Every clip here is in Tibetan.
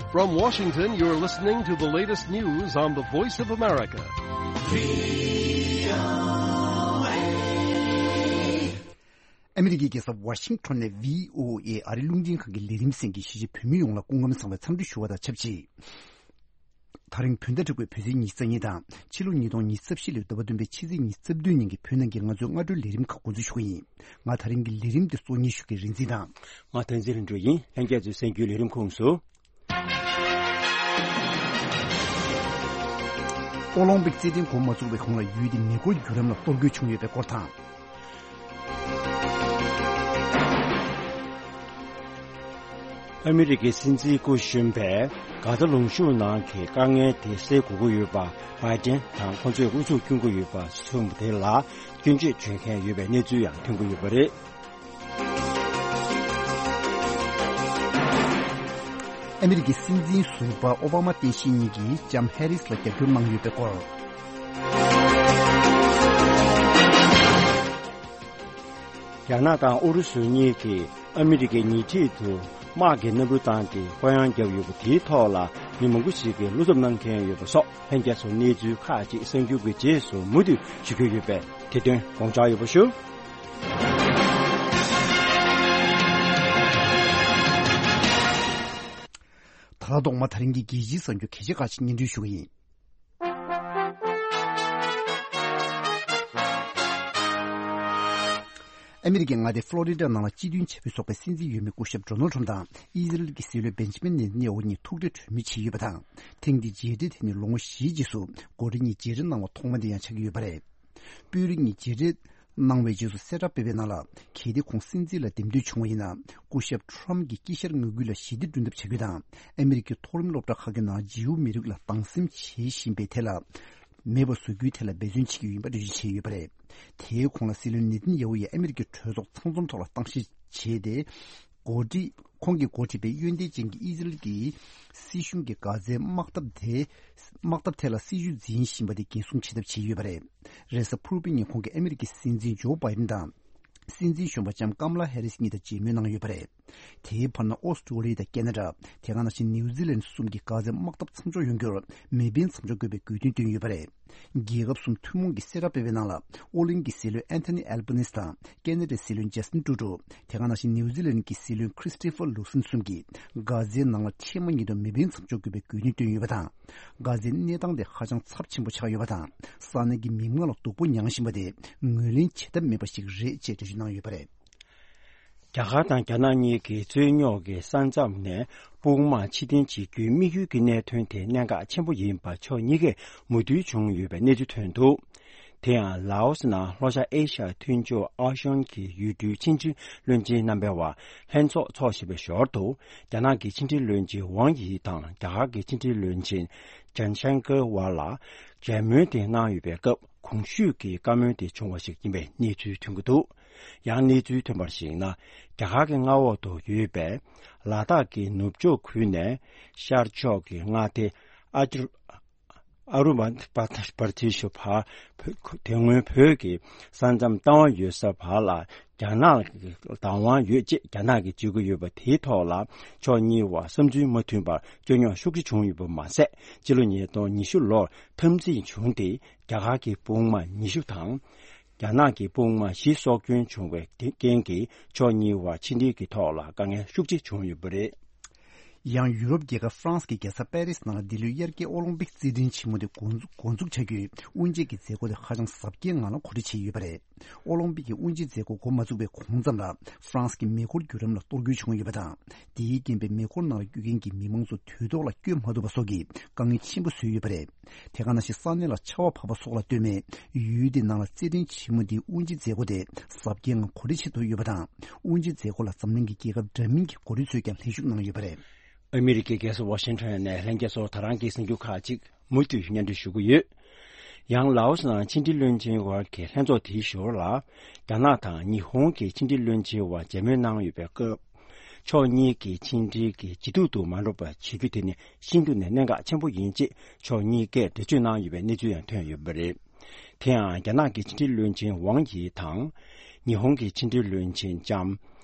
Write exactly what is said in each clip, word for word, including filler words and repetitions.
From Washington, you're listening to the latest news on the Voice of America. ཨ་མི་རི་ཀའི་རྒྱལ་ས་ཝ་ཤིང་ཊོན་ནས་བྷི་ཨོ་ཨེ་ཨ་རིའི་རླུང་འཕྲིན་ཁང་གི་ལས་རིམ་གསན་མཁན་གཞིས་བྱེས་བོད་མི་ཡོངས་ལ་སྐུ་ཁམས་བཟང་བའི་འཚམས་འདྲི་ཞུ་བ་དང་ཆབས་ཅིག་ད་རིང་བོད་ཟླ་དྲུག་པའི་བོད་ཚེས་ཉི་ཤུ་རྩ་གཉིས་དང་ཕྱི་ལོ་ཉིས་སྟོང་ཉི་ཤུ་རྩ་བཞི་ལོའི་ཟླ་བ་བདུན་པའི་ཕྱི་ཚེས་ཉི་ཤུ་རྩ་བདུན་ཉིན་གྱི་བོད་ནང་གི་ང་ཚོའི་སྔ་དྲོའི་ལས་རིམ་ཁག་འགོ་འཛུགས་ཞུ་གི་ཡིན། ང་ད་རིང་གི་ལས་རིམ་དེ་གཙོ་གཉེར་ཞུ་མཁན་རིག་འཛིན་དང་། ང་བསྟན་འཛིན་ལྷུན་གྲུབ་ཡིན། ལྷན་རྒྱས་ཚོའི་གསན་རྒྱུའི་ལས་རིམ་ཁོངས་སུ། ཨོ་ལོང་པིག་རྩེད་འགྲན་འགོ་མ་བཙུགས་པའི་གོང་ལ་ཡུལ་དེ་མེ་འཁོར་འགྱུར་རིམ་ལ་གཏོར་རྒོལ་བྱུང་ཡོད་པའི་སྐོར་དང་། ཨ་མི་རི་ཀའི་སྲིད་འཛིན་སྐུ་གཞོན་པས་གྷ་ཛ་ལུང་གཤོང་ནང་གི་དཀའ་ངལ་དེ་སེལ་དགོས་ཀྱི་ཡོད་པ་བྷའི་ཏན་དང་ཁོང་ཚོས་ཨུ་ཚུགས་སྐྱོན་གྱི་ཡོད་པ་གསུངས་པ་དེ་ལ་སྐྱོན་བརྗོད་བྱེད་མཁན་ཡོད་པའི་གནས་ཚུལ་ཡང་ཐོན་གྱི་ཡོད་པ་རེད། ཨ་མི་རི་ཀའི་སྲིད་འཛིན་ཟུར་པ་ཨོ་བྷ་མ་བསྟན་ཤེས་གཉིས་ཀྱིས་ལྕམ་ཧེ་རིས་ལ་རྒྱབ་སྐྱོར་གནང་ཡོད་པའི་སྐོར། རྒྱ་ནག་དང་ཨུ་རུ་སུ་གཉིས་ཀྱིས་ཨ་མི་རི་ཀའི་ཉེ་འཁྲིས་དུ་དམག་གི་གནམ་གྲུ་བཏང་སྟེ་ལྐོག་གཡང་བརྒྱབ་ཡོད་པ་དེའི་ཐོག་ལ་མི་མང་པོ་ཞིག་གིས་བློ་འཚབ་གནང་མཁན་ཡོད་པ་སོགས་ལྷན་རྒྱས་ཚོ་གནས་ཚུལ་ཁག་ཅིག་གསར་འགྱུར་གྱི་རྗེས་སུ་མུ་མཐུད་ཞུ་རྒྱུ་ཡོད་པས་དེ་དོན་དགོངས་འཇགས་ཡོད་པ་ཞུ། ད་ལྟ་ཐོག་མ་ད་རིང་གི་རྒྱལ་སྤྱིའི་གསར་འགྱུར་གལ་ཆེ་ཁག་ཅིག་སྙན་སྒྲོན་ཞུ་གི་ཡིན། ཨ་མི་རི་ཀའི་མངའ་སྡེ་ཕློ་རི་ཌ་ནང་ལ་སྤྱི་མཐུན་བྱ་འཕུར་ཚོགས་པའི་སྲིད་འཛིན་འོས་མི་སྐུ་ཞབས་ཌོ་ནལ་ཊམ་དང་ཨི་ཟི་རེལ་གྱི་སྲིད་བློན་བེན་ཇི་མིན་ནེ་ཐན་ཡ་ཧུ་གཉིས་ཐུག་འཕྲད་གྲོས་མོལ་བྱས་ཡོད་པ་དང་། ཐེངས་འདིའི་མཇལ་འཕྲད་དེ་ནི་ལོ་ངོ་བཞིའི་རྗེས་སུ་འགོ་ཁྲིད་གཉིས་མཇལ་འཕྲད་གནང་བ་ཐོག་མ་དེ་ཡང་ཆགས་ཀྱི་ཡོད་པ་རེད། དཔོན་རིགས་གཉིས་མཇལ་འཕྲད་གནང་བའི་རྗེས་སུ་གསལ་བསྒྲགས་སྤེལ་བའི་ནང་ལ། གལ་ཏེ་ཁོང་སྲིད་འཛིན་ལ་འདེམས་ཐོན་བྱུང་བ་ཡིན་ན། སྐུ་ཞབས་ཊམ་གྱིས་དཀྱིལ་ཤར་མངའ་ཁུལ་ལ་ཞི་བདེ་བསྐྲུན་ཐབས་བྱ་རྒྱུ་དང་། ཨ་མི་རི་ཀའི་མཐོ་རིམ་སློབ་གྲྭ་ཁག་གི་ནང་ཇིའུ་མི་རིགས་ལ་སྡང་སེམས་བྱེད་བཞིན་པའི་ཐད་ལ་མེད་པ་བཟོ་རྒྱུའི་ཐད་ལ་འབད་བརྩོན་བྱེད་ཀྱི་ཡོད་པ་འགྲེལ་བརྗོད་བྱས་ཡོད་པ་རེད། དེའི་གོང་ལ་སྲིད་བློན་ནེ་ཐན་ཡ་ཧུ་ཡིས་ཨ་མི་རི་ཀའི་གྲོས་ཚོགས་ཚང་འཛོམས་ཐོག་ལ་གཏམ་བཤད་བྱས་ཏེ། འགོ་ཁྲིད། ཁོང་གིས་འགོ་ཁྲིད་པའི་ཡོན་ཏན་ཅན་གྱི་ཨི་ཟི་རེལ་གྱི་སྲིད་གཞུང་གིས་གྷ་ཛའི་དམག་འཐབ་དེ། དམག་འཐབ་ཐད་ལ་སྲིད་ཇུས་འཛིན་བཞིན་པ་དེ་འགན་སྲུང་བྱེད་ཐབས་བྱས་ཡོད་པ་རེད། རེས་གཟའ་ཕུར་བུའི་ཉིན་ཁོང་གིས་ཨ་མི་རི་ཀའི་སྲིད་འཛིན་ཇོ་བྷའི་ཌེན་དང་། སྲིད་འཛིན་གཞོན་པ་ལྕམ་ཀམ་ལ་ཧེ་རིས་གཉིས་དང་མཇལ་མོལ་གནང་ཡོད་པ་རེད། དེའི་བར་ན་ཨོ་སི་ཀྲོ་ལི་ཡ་དང་ཁེ་ན་ཌ། དེ་ག་ནང་བཞིན་ནིའུ་ཛི་ལན་གསུམ་གྱིས་གྷ་ཛའི་དམག་འཐབ་མཚམས་འཇོག་ཡོང་རྒྱུར་མེ་འཕེན་མཚམས་འཇོག་དགོས་པའི་དགོས་འདུན་བཏོན་ཡོད་པ་རེད། རྒྱལ་ཁབ་གསུམ་ཐུན་མོང་གིས་གསལ་བསྒྲགས་སྤེལ་བའི་ནང་ལ། ཨོ་གླིང་གི་སྲིད་བློན་ཨན་ཐོ་ནི་ཨལ་བྷ་ནིས་དང་ཁེ་ན་ཌའི་སྲིད་བློན་ཇ་སི་ཊིན་ཏྲུ་ཌོ། དེ་ག་ནང་བཞིན་ནིའུ་ཛི་ལན་གྱི་སྲིད་བློན་ཁྲི་སི་ཊི་ཕར་ལུ་སིན་གསུམ་གྱིས་གྷ་ཛའི་ནང་ལ་འཕྲལ་མ་ཉིད་དུ་མེ་འཕེན་མཚམས་འཇོག་དགོས་པའི་དགོས་འདུན་བཏོན་ཡོད་པ་དང་། གྷ་ཛའི་གནས་སྟངས་དེ་ཧ་ཅང་ཚབས་ཆེན་པོ་ཆགས་ཡོད་པ་དང་། ས་གནས་ཀྱི་མི་མང་ལ་སྡུག་པོ་མྱངས་བཞིན་པ་དེ་ངོས་ལེན་བྱེད་ཐབས་མེད་པ་ཞིག་རེད་ཅེས་འགྲེལ་བརྗོད་གནང་ཡོད་པ་རེད། རྒྱ་གར་དང་རྒྱ་ནག་གཉིས་ཀྱི་རྩོད་རྙོག་གི་ས་མཚམས་ནས་དཔུང་དམག་ཕྱིར་འཐེན་བྱེད་རྒྱུའི་དམིགས་ཡུལ་གྱི་གནད་དོན་དེ་གནད་འགག་ཆེན་པོ་ཡིན་པ་ཕྱོགས་གཉིས་ཀས་མོས་མཐུན་བྱུང་ཡོད་པའི་གནས་ཚུལ་ཐོན་འདུག་དེ་ཡང་ལའོ་སི་ནང་ལྷོ་ཤར་ཨེ་ཤ་ཡ་མཐུན་ཕྱོགས་ཨའོ་ཤང་གི་ཡུལ་གྲུའི་ཕྱི་འབྲེལ་བློན་ཆེན་རྣམ་པའི་བར་ལྷན་ཚོགས་འཚོགས་བཞིན་པའི་ཞོར་དུ། རྒྱ་ནག་གི་ཕྱི་འབྲེལ་བློན་ཆེན་ཝང་ཡི་དང་རྒྱ་གར་གྱི་ཕྱི་འབྲེལ་བློན་ཆེན་ཇན་ཤང་ཀར་བར་ལ་མཇལ་མོལ་དེ་གནང་ཡོད་པའི་སྐབས། གོང་ཞུས་ཀྱི་བཀའ་མོལ་དེ་བྱུང་བ་ཞིག་ཡིན་པའི་གནས་ཚུལ་ཐོན་གྱི་འདུག་ཡང་གནས་ཚུལ་ཐོན་པར་གཞིགས་ན། རྒྱ་གར་གྱི་མངའ་འོག་ཏུ་ཡོད་པའི་ལ་དྭགས་ཀྱི་ནུབ་ཕྱོགས་ཁུལ་ནས་ཤར་ཕྱོགས་ཀྱི་མངའ་སྡེ་ཨ་ཅུ་ཨ་རུ་ན་བ་པར་ཏི་ཤུ་བར། དེ་སྔོན་བོད་ཀྱི་ས་མཚམས་ལྟ་བ་ཡོད་ས་བར་ལ་རྒྱ་ནག་གི་བདག་དབང་ཡོད་ཅེས་རྒྱ་ནག་གིས་བརྗོད་ཀྱི་ཡོད་པ་དེའི་ཐོག་ལ་ཕྱོགས་གཉིས་བར་བསམ་ཚུལ་མ་མཐུན་པར་རྩོད་རྙོག་ཤུགས་ཆེ་བྱུང་ཡོད་པ་མ་ཟད། སྤྱི་ལོ་ཉིས་སྟོང་ཉི་ཤུ་ལོར་འཐབ་འཛིང་བྱུང་སྟེ། རྒྱ་གར་གྱི་དཔུང་དམག་ཉི་ཤུ་དང་། རྒྱ་ནག་གི་དཔུང་དམག་བཞི་སྲོག་སྐྱོན་བྱུང་བའི་རྐྱེན་གྱིས་ཕྱོགས་གཉིས་བར་ཕྱི་འབྲེལ་གྱི་ཐོག་ལ་དཀའ་ངལ་ཤུགས་ཆེ་བྱུང་ཡོད་པ་རེད། ཡང་ཡུ་རོབ་རྒྱལ་ཁབ་ཧྥ་རན་སི་གི་རྒྱལ་ས་པེ་རི་སི་ནང་ལ་འདི་ལོའི་དབྱར་ཁའི་ཨོ་ལིམ་པིག་རྩེད་འགྲན་ཆེན་མོ་དེ་འགོ་འཛུགས་འགོ་འཛུགས་བྱ་རྒྱུའི་དབུ་འབྱེད་ཀྱི་མཛད་སྒོ་དེ་ཧ་ཅང་གཟབ་རྒྱས་ངང་ལ་གོ་སྒྲིག་བྱས་ཡོད་པ་རེད། ཨོ་ལིམ་པིག་གི་དབུ་འབྱེད་མཛད་སྒོ་འགོ་མ་བཙུགས་པའི་གོང་ཙམ་ལ་ཧྥ་རན་སི་གི་མེ་འཁོར་བརྒྱུད་རིམ་ལ་གཏོར་རྒོལ་བྱུང་ཡོད་པ་དང་། དེའི་རྐྱེན་པས་མེ་འཁོར་ནང་ལ་སྐྱོད་མཁན་གྱི་མི་མང་ཚོ་དུས་ཐོག་ལ་སྐྱོད་མ་ཐུབ་པ་སོགས་ཀྱི་དཀའ་ངལ་ཆེན་པོ་བཟོས་ཡོད་པ་རེད། དེ་ག་ནང་བཞིན་ས་གནས་ལ་ཆར་པ་བབས་པ་སོགས་ལ་ལྟོས་མེད། ཡུལ་དེའི་ནང་ལ་རྩེད་འགྲན་ཆེན་མོ་འདིའི་དབུ་འབྱེད་མཛད་སྒོ་དེ་གཟབ་རྒྱས་ངང་གོ་སྒྲིག་བྱེད་ཐུབ་ཡོད་པ་དང་། དབུ་འབྱེད་མཛད་སྒོ་ལ་འཛམ་གླིང་གི་རྒྱལ་ཁབ་འདྲ་མིན་གྱི་འགོ་ཁྲིད་ཚོས་ཀྱང་ལྷན་ཞུགས་གནང་ཡོད་པ་རེད། ཨ་མི་རི་ཀའི་རྒྱལ་ས་ཝ་ཤིང་ཊོན་ནས་ལྷན་རྒྱས་ཚོར་ད་རང་གི་གསར་འགྱུར་ཁག་ཅིག་མུ་མཐུད་སྙན་སྒྲོན་ཞུ་གི་ཡོད། ཡང་ལའོ་སི་ནང་ཕྱི་འབྲེལ་བློན་ཆེན་དབར་གྱི་ལྷན་ཚོགས་དེའི་ཞོར་ལ། རྒྱ་ནག་དང་ཉི་ཧོང་གི་ཕྱི་འབྲེལ་བློན་ཆེན་དབར་མཇལ་མོལ་གནང་ཡོད་པའི་སྐབས། ཕྱོགས་གཉིས་ཀྱི་ཕྱི་འབྲེལ་གྱི་ཇེ་སྡུག་ཏུ་མ་འགྲོ་བ་བྱེད་རྒྱུ་དེ་ནི་ཤིན་ཏུ་ནས་གནད་འགག་ཆེན་པོ་ཡིན་ཅེས་ཕྱོགས་གཉིས་ཀས་འགྲེལ་བརྗོད་གནང་ཡོད་པའི་གནས་ཚུལ་ཡང་ཐོན་ཡོད་པ་རེད། དེ་ཡང་རྒྱ་ནག་གི་ཕྱི་འབྲེལ་བློན་ཆེན་ཝང་ཡི་དང་། ཉི་ཧོང་གི་ཕྱི་འབྲེལ་བློན་ཆེན་ལྕམ་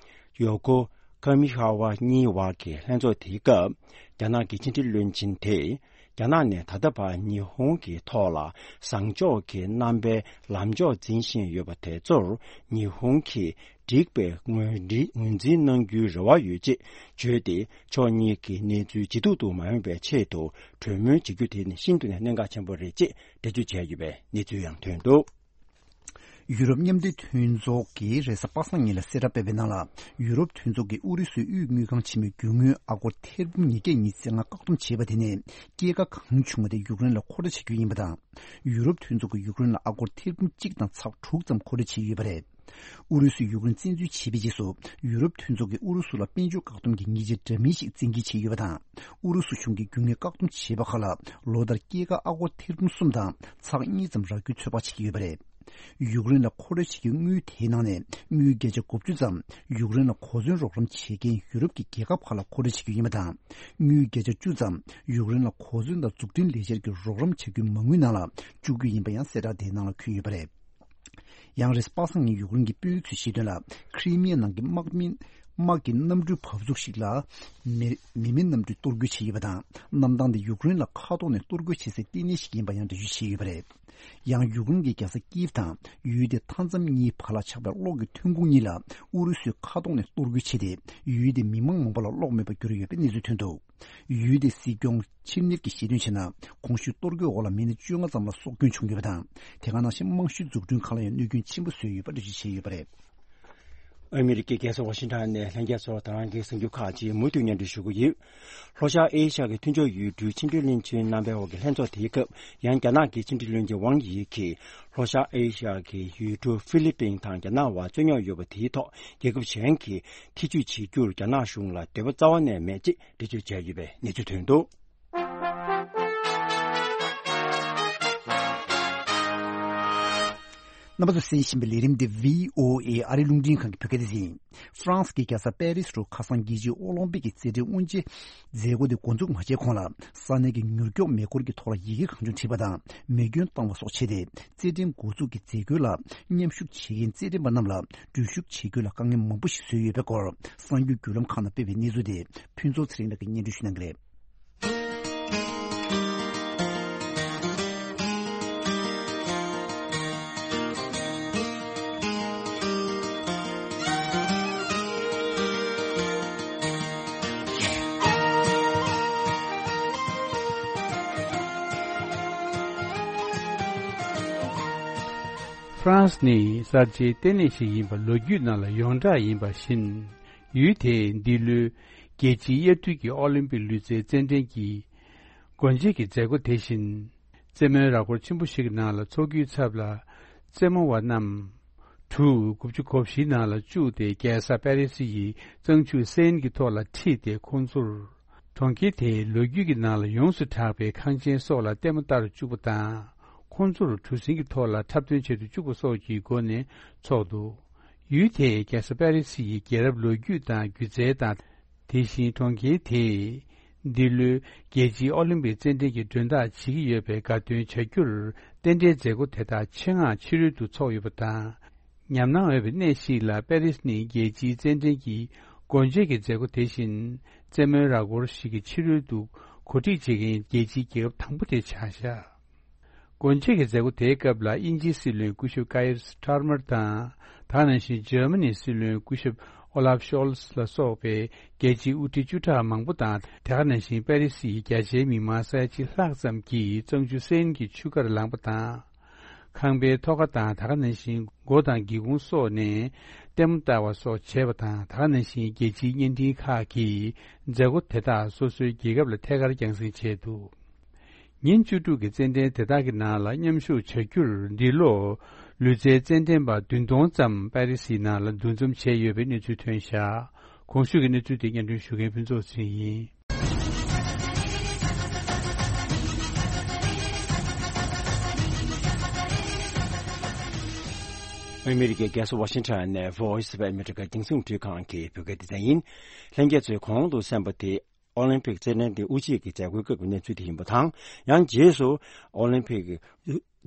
ཡོ་ཀོ་ ཀ་མི་ཧ་ཝ་གཉིས་བར་གྱི་ལྷན་ཚོགས་དེའི་སྐབས། རྒྱ་ནག་གི་ཕྱི་འབྲེལ་བློན་ཆེན་དེས། རྒྱ་ནག་ནས་ད་ལྟ་བར་ཉི་ཧོང་གི་ཐོག་ལ་བཟང་ཕྱོགས་ཀྱི་རྣམ་པའི་ལམ་ཕྱོགས་འཛིན་བཞིན་ཡོད་པ་དེ་ཚོར་ཉི་ཧོང་གིས་འགྲིག་པའི་ངོས་འཛིན་ངོས་འཛིན་གནང་རྒྱུའི་རེ་བ་ཡོད་ཅེས་བརྗོད་དེ། ཕྱོགས་གཉིས་ཀྱི་གནས་ཚུལ་ཇེ་སྡུག་ཏུ་མ་ཡོང་བའི་ཆེད་དུ་གྲོས་མོལ་བྱེད་རྒྱུ་དེ་ནི་ཤིན་ཏུ་ནས་གནད་འགག་ཆེན་པོ་རེད་ཅེས་འགྲེལ་བརྗོད་བྱས་ཡོད་པའི་གནས་ཚུལ་ཡང་ཐོན་འདུག། ཡུ་རོབ་མཉམ་འབྲེལ་མཐུན་ཚོགས་ཀྱིས་རེས་གཟའ་པ་སངས་ཉིན་ལ་གསལ་བསྒྲགས་སྤེལ་བའི་ནང་ལ། ཡུ་རོབ་མཐུན་ཚོགས་ཀྱིས་ཨུ་རུ་སུའི་དབུས་དངུལ་ཁང་ཆེན་མོའི་རྒྱུ་དངུལ་ཨ་སྒོར་ཐེར་འབུམ་ཉིས་བརྒྱ་ཉི་ཤུ་རྩ་ལྔ་བཀག་སྡོམ་བྱས་པ་དེ་ནི། སྐྱེད་ཀ་གང་བྱུང་བ་དེ་ཡུཀ་རེན་ལ་མཁོ་སྤྲོད་བྱ་རྒྱུ་ཡིན་པ་དང་། ཡུ་རོབ་མཐུན་ཚོགས་ཀྱིས་ཡུཀ་རེན་ལ་ཨ་སྒོར་ཐེར་འབུམ་གཅིག་དང་ཚེག་དྲུག་ཙམ་མཁོ་སྤྲོད་བྱས་ཡོད་པ་རེད། ཨུ་རུ་སུས་ཡུཀ་རེན་བཙན་འཛུལ་བྱས་པའི་རྗེས་སུ། ཡུ་རོབ་མཐུན་ཚོགས་ཀྱིས་ཨུ་རུ་སུ་ལ་དཔལ་འབྱོར་བཀག་སྡོམ་གྱི་ཉེས་ཆད་འདྲ་མིན་ཞིག་བཙན་འགེལ་བྱས་ཡོད་པ་དང་། ཨུ་རུ་སུ་གཞུང་གིས་རྒྱུ་དངུལ་བཀག་སྡོམ་བྱས་པ་ཁག་ལ། ལོ་ལྟར་སྐྱེད་ཀ་ཨ་སྒོར་ཐེར་འབུམ་གསུམ་དང་ཚེག་གཉིས་ཙམ་རག་རྒྱུའི་ཚོད་དཔག་བྱེད་ཀྱི་ཡོད་པ་རེད། ཡུཀ་རེན་ལ་མཁོ་སྤྲོད་བྱེད་རྒྱུའི་དངུལ་དེའི་ནང་ནས་དངུལ་བརྒྱ་ཆ་དགུ་བཅུ་ཙམ་ཡུཀ་རེན་ལ་གོ་མཚོན་རོགས་རམ་བྱེད་མཁན་ཡུ་རོབ་ཀྱི་རྒྱལ་ཁབ་ཁག་ལ་མཁོ་སྤྲོད་བྱེད་རྒྱུ་ཡིན་པ་དང་། དངུལ་བརྒྱ་ཆ་བཅུ་ཙམ་ཡུཀ་རེན་ལ་གོ་མཚོན་དང་འཛུགས་སྐྲུན་ལས་འཆར་གྱི་རོགས་རམ་བྱ་རྒྱུའི་མ་དངུལ་ནང་ལ་བཅུག་རྒྱུ་ཡིན་པ་ཡང་གསལ་བསྒྲགས་དེའི་ནང་ལ་འཁོད་ཡོད་པ་རེད། ཡང་རེས་པ་སངས་ཉིན་ཡུཀ་རེན་གྱི་དཔོན་རིགས་ཚོས་བཤད་དོན་ལ། ཁྲི་མི་ཡ་ནང་གི་དམག་མི་དམག་གི་གནམ་གྲུའི་བབས་ཚུགས་ཤིག་ལ་མེ་མེ་མེ་གནམ་གྲུས་གཏོར་རྒོལ་བྱས་ཡོད་པ་དང་། གནམ་ཐང་དེ་ཡུཀ་རེན་ལ་མཁའ་ཐོག་ནས་གཏོར་རྒོལ་བྱེད་སའི་ལྟེ་གནས་ཤིག་ཡིན་པ་ཡང་འགྲེལ་བརྗོད་བྱས་ཡོད་པ་རེད། ཡང་ཡུཀ་རེན་གྱི་རྒྱལ་ས་ཀིབ་དང་ཡུལ་དེའི་མཐའ་མཚམས་གཉིས་བར་ལ་ཆགས་པའི་གློག་གི་ཐོན་ཁུངས་གཉིས་ལ་ཨུ་རུ་སུས་མཁའ་ཐོག་ནས་གཏོར་རྒོལ་བྱས་ཏེ། ཡུལ་དེའི་མི་མང་མང་པོ་ལ་གློག་མེད་པར་གྱུར་ཡོད་པའི་གནས་ཚུལ་ཐོན་འདུག། ཡུལ་དེའི་སྲིད་སྐྱོང་ཆིབས་གཉེར་གྱིས་བཤད་དོན་བྱས་ན། གོང་ཞུས་གཏོར་རྒོལ་འོག་ལ་མི་སྣ་བཅོ་ལྔ་ཙམ་ལ་སྲོག་སྐྱོན་བྱུང་ཡོད་པ་དང་། དེ་ག་ནང་བཞིན་རྨང་གཞིའི་འཛུགས་སྐྲུན་ཁག་ལ་ཡང་གནོད་སྐྱོན་ཆེན་པོ་བཟོས་ཡོད་པ་འགྲེལ་བརྗོད་བྱས་ཡོད་པ་རེད། ཨ་མི་རི་ཀའི་རྒྱལ་ས་ཝ་ཤིང་ཊོན་ནས་ལྷན་རྒྱས་ཚོར་ད་རང་གི་གསར་འགྱུར་ཁག་ཅིག་མུ་མཐུད་སྙན་སྒྲོན་ཞུ་གི་ཡོད། ལྷོ་ཤར་ཨེ་ཤ་ཡ་གི་མཐུན་ཕྱོགས་ཡུལ་གྲུའི་ཕྱི་འབྲེལ་བློན་ཆེན་རྣམ་པའི་འོག་གི་ལྷན་ཚོགས་དེའི་སྐབས། ཡང་རྒྱ་ནག་གི་ཕྱི་འབྲེལ་བློན་ཆེན་ཝང་ཡི་གིས་ལྷོ་ཤར་ཨེ་ཤ་ཡ་གི་ཡུལ་གྲུ་ཧྥི་ལི་པིན་དང་རྒྱ་ནག་དབར་རྩོད་རྙོག་ཡོད་པ་དེའི་ཐོག་རྒྱལ་ཁབ་གཞན་གྱིས་ཐེ་ཇུས་བྱེད་རྒྱུར་རྒྱ་ནག་གཞུང་ལ་འདོད་པ་རྩ་བ་ནས་མེད་ཅེས་འགྲེལ་བརྗོད་བྱས་ཡོད་པའི་གནས་ཚུལ་ཐོན་འདུག། རྣམ་པ་ཚོས་གསན་བཞིན་པའི་ལས་རིམ་འདི་བྷི་ཨོ་ཨེ་ཨ་རིའི་རླུང་འཕྲིན་ཁང་གི་བོད་སྐད་སྡེ་ཚན་ཡིན། ཧྥ་རན་སི་གི་རྒྱལ་ས་པེ་རི་སི་རུ་ཁ་སང་རྒྱལ་སྤྱིའི་ཨོ་ལིམ་པིག་གི་རྩེད་འགྲན་དབུ་འབྱེད་མཛད་སྒོ་དེ་འགོ་འཛུགས་མ་བྱས་གོང་ལ། ས་གནས་ཀྱི་མྱུར་མགྱོགས་མེ་འཁོར་གྱི་ཐོག་ལ་ཡི་གེ་གང་བྱུང་བྲིས་པ་དང་མེ་སྐྱོན་བཏང་བ་སོགས་བྱས་ཏེ། རྩེད་འགྲན་འགོ་འཛུགས་ཀྱི་མཛད་སྒོ་ལ་མཉམ་ཞུགས་བྱེད་མཁན་རྩེད་འགྲན་པ་རྣམས་ལ་འགྲུལ་བཞུད་བྱེད་རྒྱུ་ལ་དཀའ་ངལ་མང་པོ་ཞིག་བཟོས་ཡོད་པའི་སྐོར། གསར་འགྱུར་བརྒྱུད་ལམ་ཁག་ནང་སྤེལ་བའི་གནས་ཚུལ་དེ་ཕུན་ཚོགས་ཚེ་རིང་ལགས་ཀྱིས་སྙན་སྒྲོན་ཞུ་གནང་གི་རེད། ཧྥ་རན་སི་ནི་གསར་བརྗེའི་ལྟེ་གནས་ཤིག་ཡིན་པ་ལོ་རྒྱུས་ནང་ལ་ཡོངས་གྲགས་ཡིན་པ་བཞིན། ཡུལ་དེས་འདི་ལོའི་རྒྱལ་སྤྱིའི་དབྱར་དུས་ཀྱི་ཨོ་ལིམ་པིག་ལུས་རྩལ་རྩེད་འགྲན་གྱི་སྒོ་འབྱེད་ཀྱི་མཛད་སྒོ་དེ་བཞིན། རྩེད་མོའི་ར་སྐོར་ཆེན་པོ་ཞིག་གི་ནང་ལ་འཚོགས་རྒྱུའི་ཚབ་ལ། རྩེད་མོ་བ་རྣམས་གྲུ་དགུ་བཅུ་གོ་བཞིའི་ནང་ལ་བཅུག་སྟེ། རྒྱལ་ས་པེ་རི་སི་ཡི་གཙང་ཆུ་སེན་གྱི་ཐོག་ལ་ཁྲིད་དེ། ཁོང་ཚོར་གྲོང་ཁྱེར་དེའི་ལོ་རྒྱུས་ཀྱི་ནང་ལ་ཡོངས་སུ་གྲགས་པའི་ཁང་ཆེན་སོགས་ལ་ལྟད་མོ་ལྟ་རུ་བཅུག་པ་དང་། ཁོང་ཚོར་གྲུ་གཟིངས་ཀྱི་ཐོག་ལ་འཁྲབ་སྟོན་བྱེད་དུ་བཅུག་པ་སོགས་ཀྱི་སྒོ་ནས་འཚོགས་འདུག། ཡུལ་དེས་རྒྱལ་ས་པེ་རི་སི་ཡི་རྒྱལ་རབས་ལོ་རྒྱུས་དང་སྒྱུ་རྩལ་དང་། དེ་བཞིན་གྲོང་ཁྱེར་དེས་འདི་ལོའི་རྒྱལ་སྤྱིའི་ཨོ་ལིམ་པིག་རྩེད་འགྲན་གྱི་མགྲོན་བདག་བྱེད་ཀྱི་ཡོད་པའི་དགའ་སྟོན་བྱ་རྒྱུར། རྟེན་འབྲེལ་མཛད་སྒོ་དེ་དག་ཆེད་མངགས་ཕྱི་རོལ་དུ་འཚོགས་ཡོད་པ་དང་། ཉམས་སྣང་འོས་པའི་གནས་ཤིག་ལ་པེ་རིས་ནི་རྒྱལ་སྤྱིའི་རྩེད་འགྲན་གྱི་སྒོ་འབྱེད་ཀྱི་མཛད་སྒོ་དེ་བཞིན། རྩེད་མོའི་ར་སྐོར་ཞིག་གི་ཕྱི་རོལ་དུ་གོ་སྒྲིག་བྱེད་མཁན་རྒྱལ་སྤྱིའི་རྒྱལ་ཁབ་དང་པོ་དེ་ཆགས་བཞག། སྒོ་འབྱེད་ཀྱི་མཛད་སྒོ་དེའི་སྐབས་ལ་དབྱིན་ཇིའི་སྲིད་བློན་སྐུ་ཞབས་ཀ་ཡེར་སི་ཊར་མར་དང་། དེ་ག་ནང་བཞིན་འཇར་མ་ནིའི་སྲིད་བློན་སྐུ་ཞབས་ཨོ་ལབ་ཤོལ་ཚ་ལ་སོགས་པའི་རྒྱལ་སྤྱིའི་དབུ་ཁྲིད་བཅུ་ཕྲག་མང་པོ་དང་། དེ་ག་ནང་བཞིན་པེ་རི་སིའི་རྒྱ་ཆེའི་མི་མང་ས་ཡ་གཅིག་ལྷག་ཙམ་གྱིས་གཙང་ཆུ་སེན་གྱི་ཆུ་ཁར་ལངས་པ་དང་། ཁང་པའི་ཐོག་ཁ་དང་དེ་ག་ནང་བཞིན་སྒོ་དང་སྒེའུ་ཁུང་སོགས་ནས་ལྟད་མོ་ལྟ་བ་སོགས་བྱས་པ་དང་། དེ་ག་ནང་བཞིན་རྒྱལ་སྤྱིའི་བརྙན་འཕྲིན་ཁག་གིས་མཛད་སྒོ་དེ་དག་སོ་སོའི་རྒྱལ་ཁབ་ལ་ཐད་ཀར་རྒྱང་སྲིང་བྱས་འདུག། ཉིན་བཅུ་དྲུག་གི་རྩེད་འགྲན་དེ་དག་གི་ནང་ལ་མཉམ་ཞུགས་བྱ་རྒྱུར་འདི་ལོ་ལུས་རྩལ་རྩེད་འགྲན་པ་བདུན་སྟོང་ཙམ་པེ་རི་སིའི་ནང་ལ་འདུ་འཛོམས་བྱས་ཡོད་པའི་གནས་ཚུལ་ཐོན་བཞག། གོང་ཞུས་ཀྱི་གནས་ཚུལ་དེ་སྙན་སྒྲོན་ཞུ་མཁན་ཕུན་ཚོགས་ཚེ་རིང་ཡིན། ཨ་མི་རི་ཀའི་རྒྱལ་ས་ཝ་ཤིང་ཊོན་ནས་Voice of America་རྒྱང་སྲིང་རླུང་འཕྲིན་ཁང་གི་བོད་སྐད་སྡེ་ཚན་ཡིན། ལྷན་རྒྱས་ཚོས་གོང་དུ་གསན་པ་དེ། ཨོ་ལིམ་པིག་རྩེད་འགྲན་དེ་དབུ་འབྱེད་ཀྱི་མཛད་སྒོའི་སྐབས་ཀྱི་གནས་ཚུལ་དེ་ཡིན་པ་དང་། ཡང་རྗེས་སུ་ཨོ་ལིམ་པིག་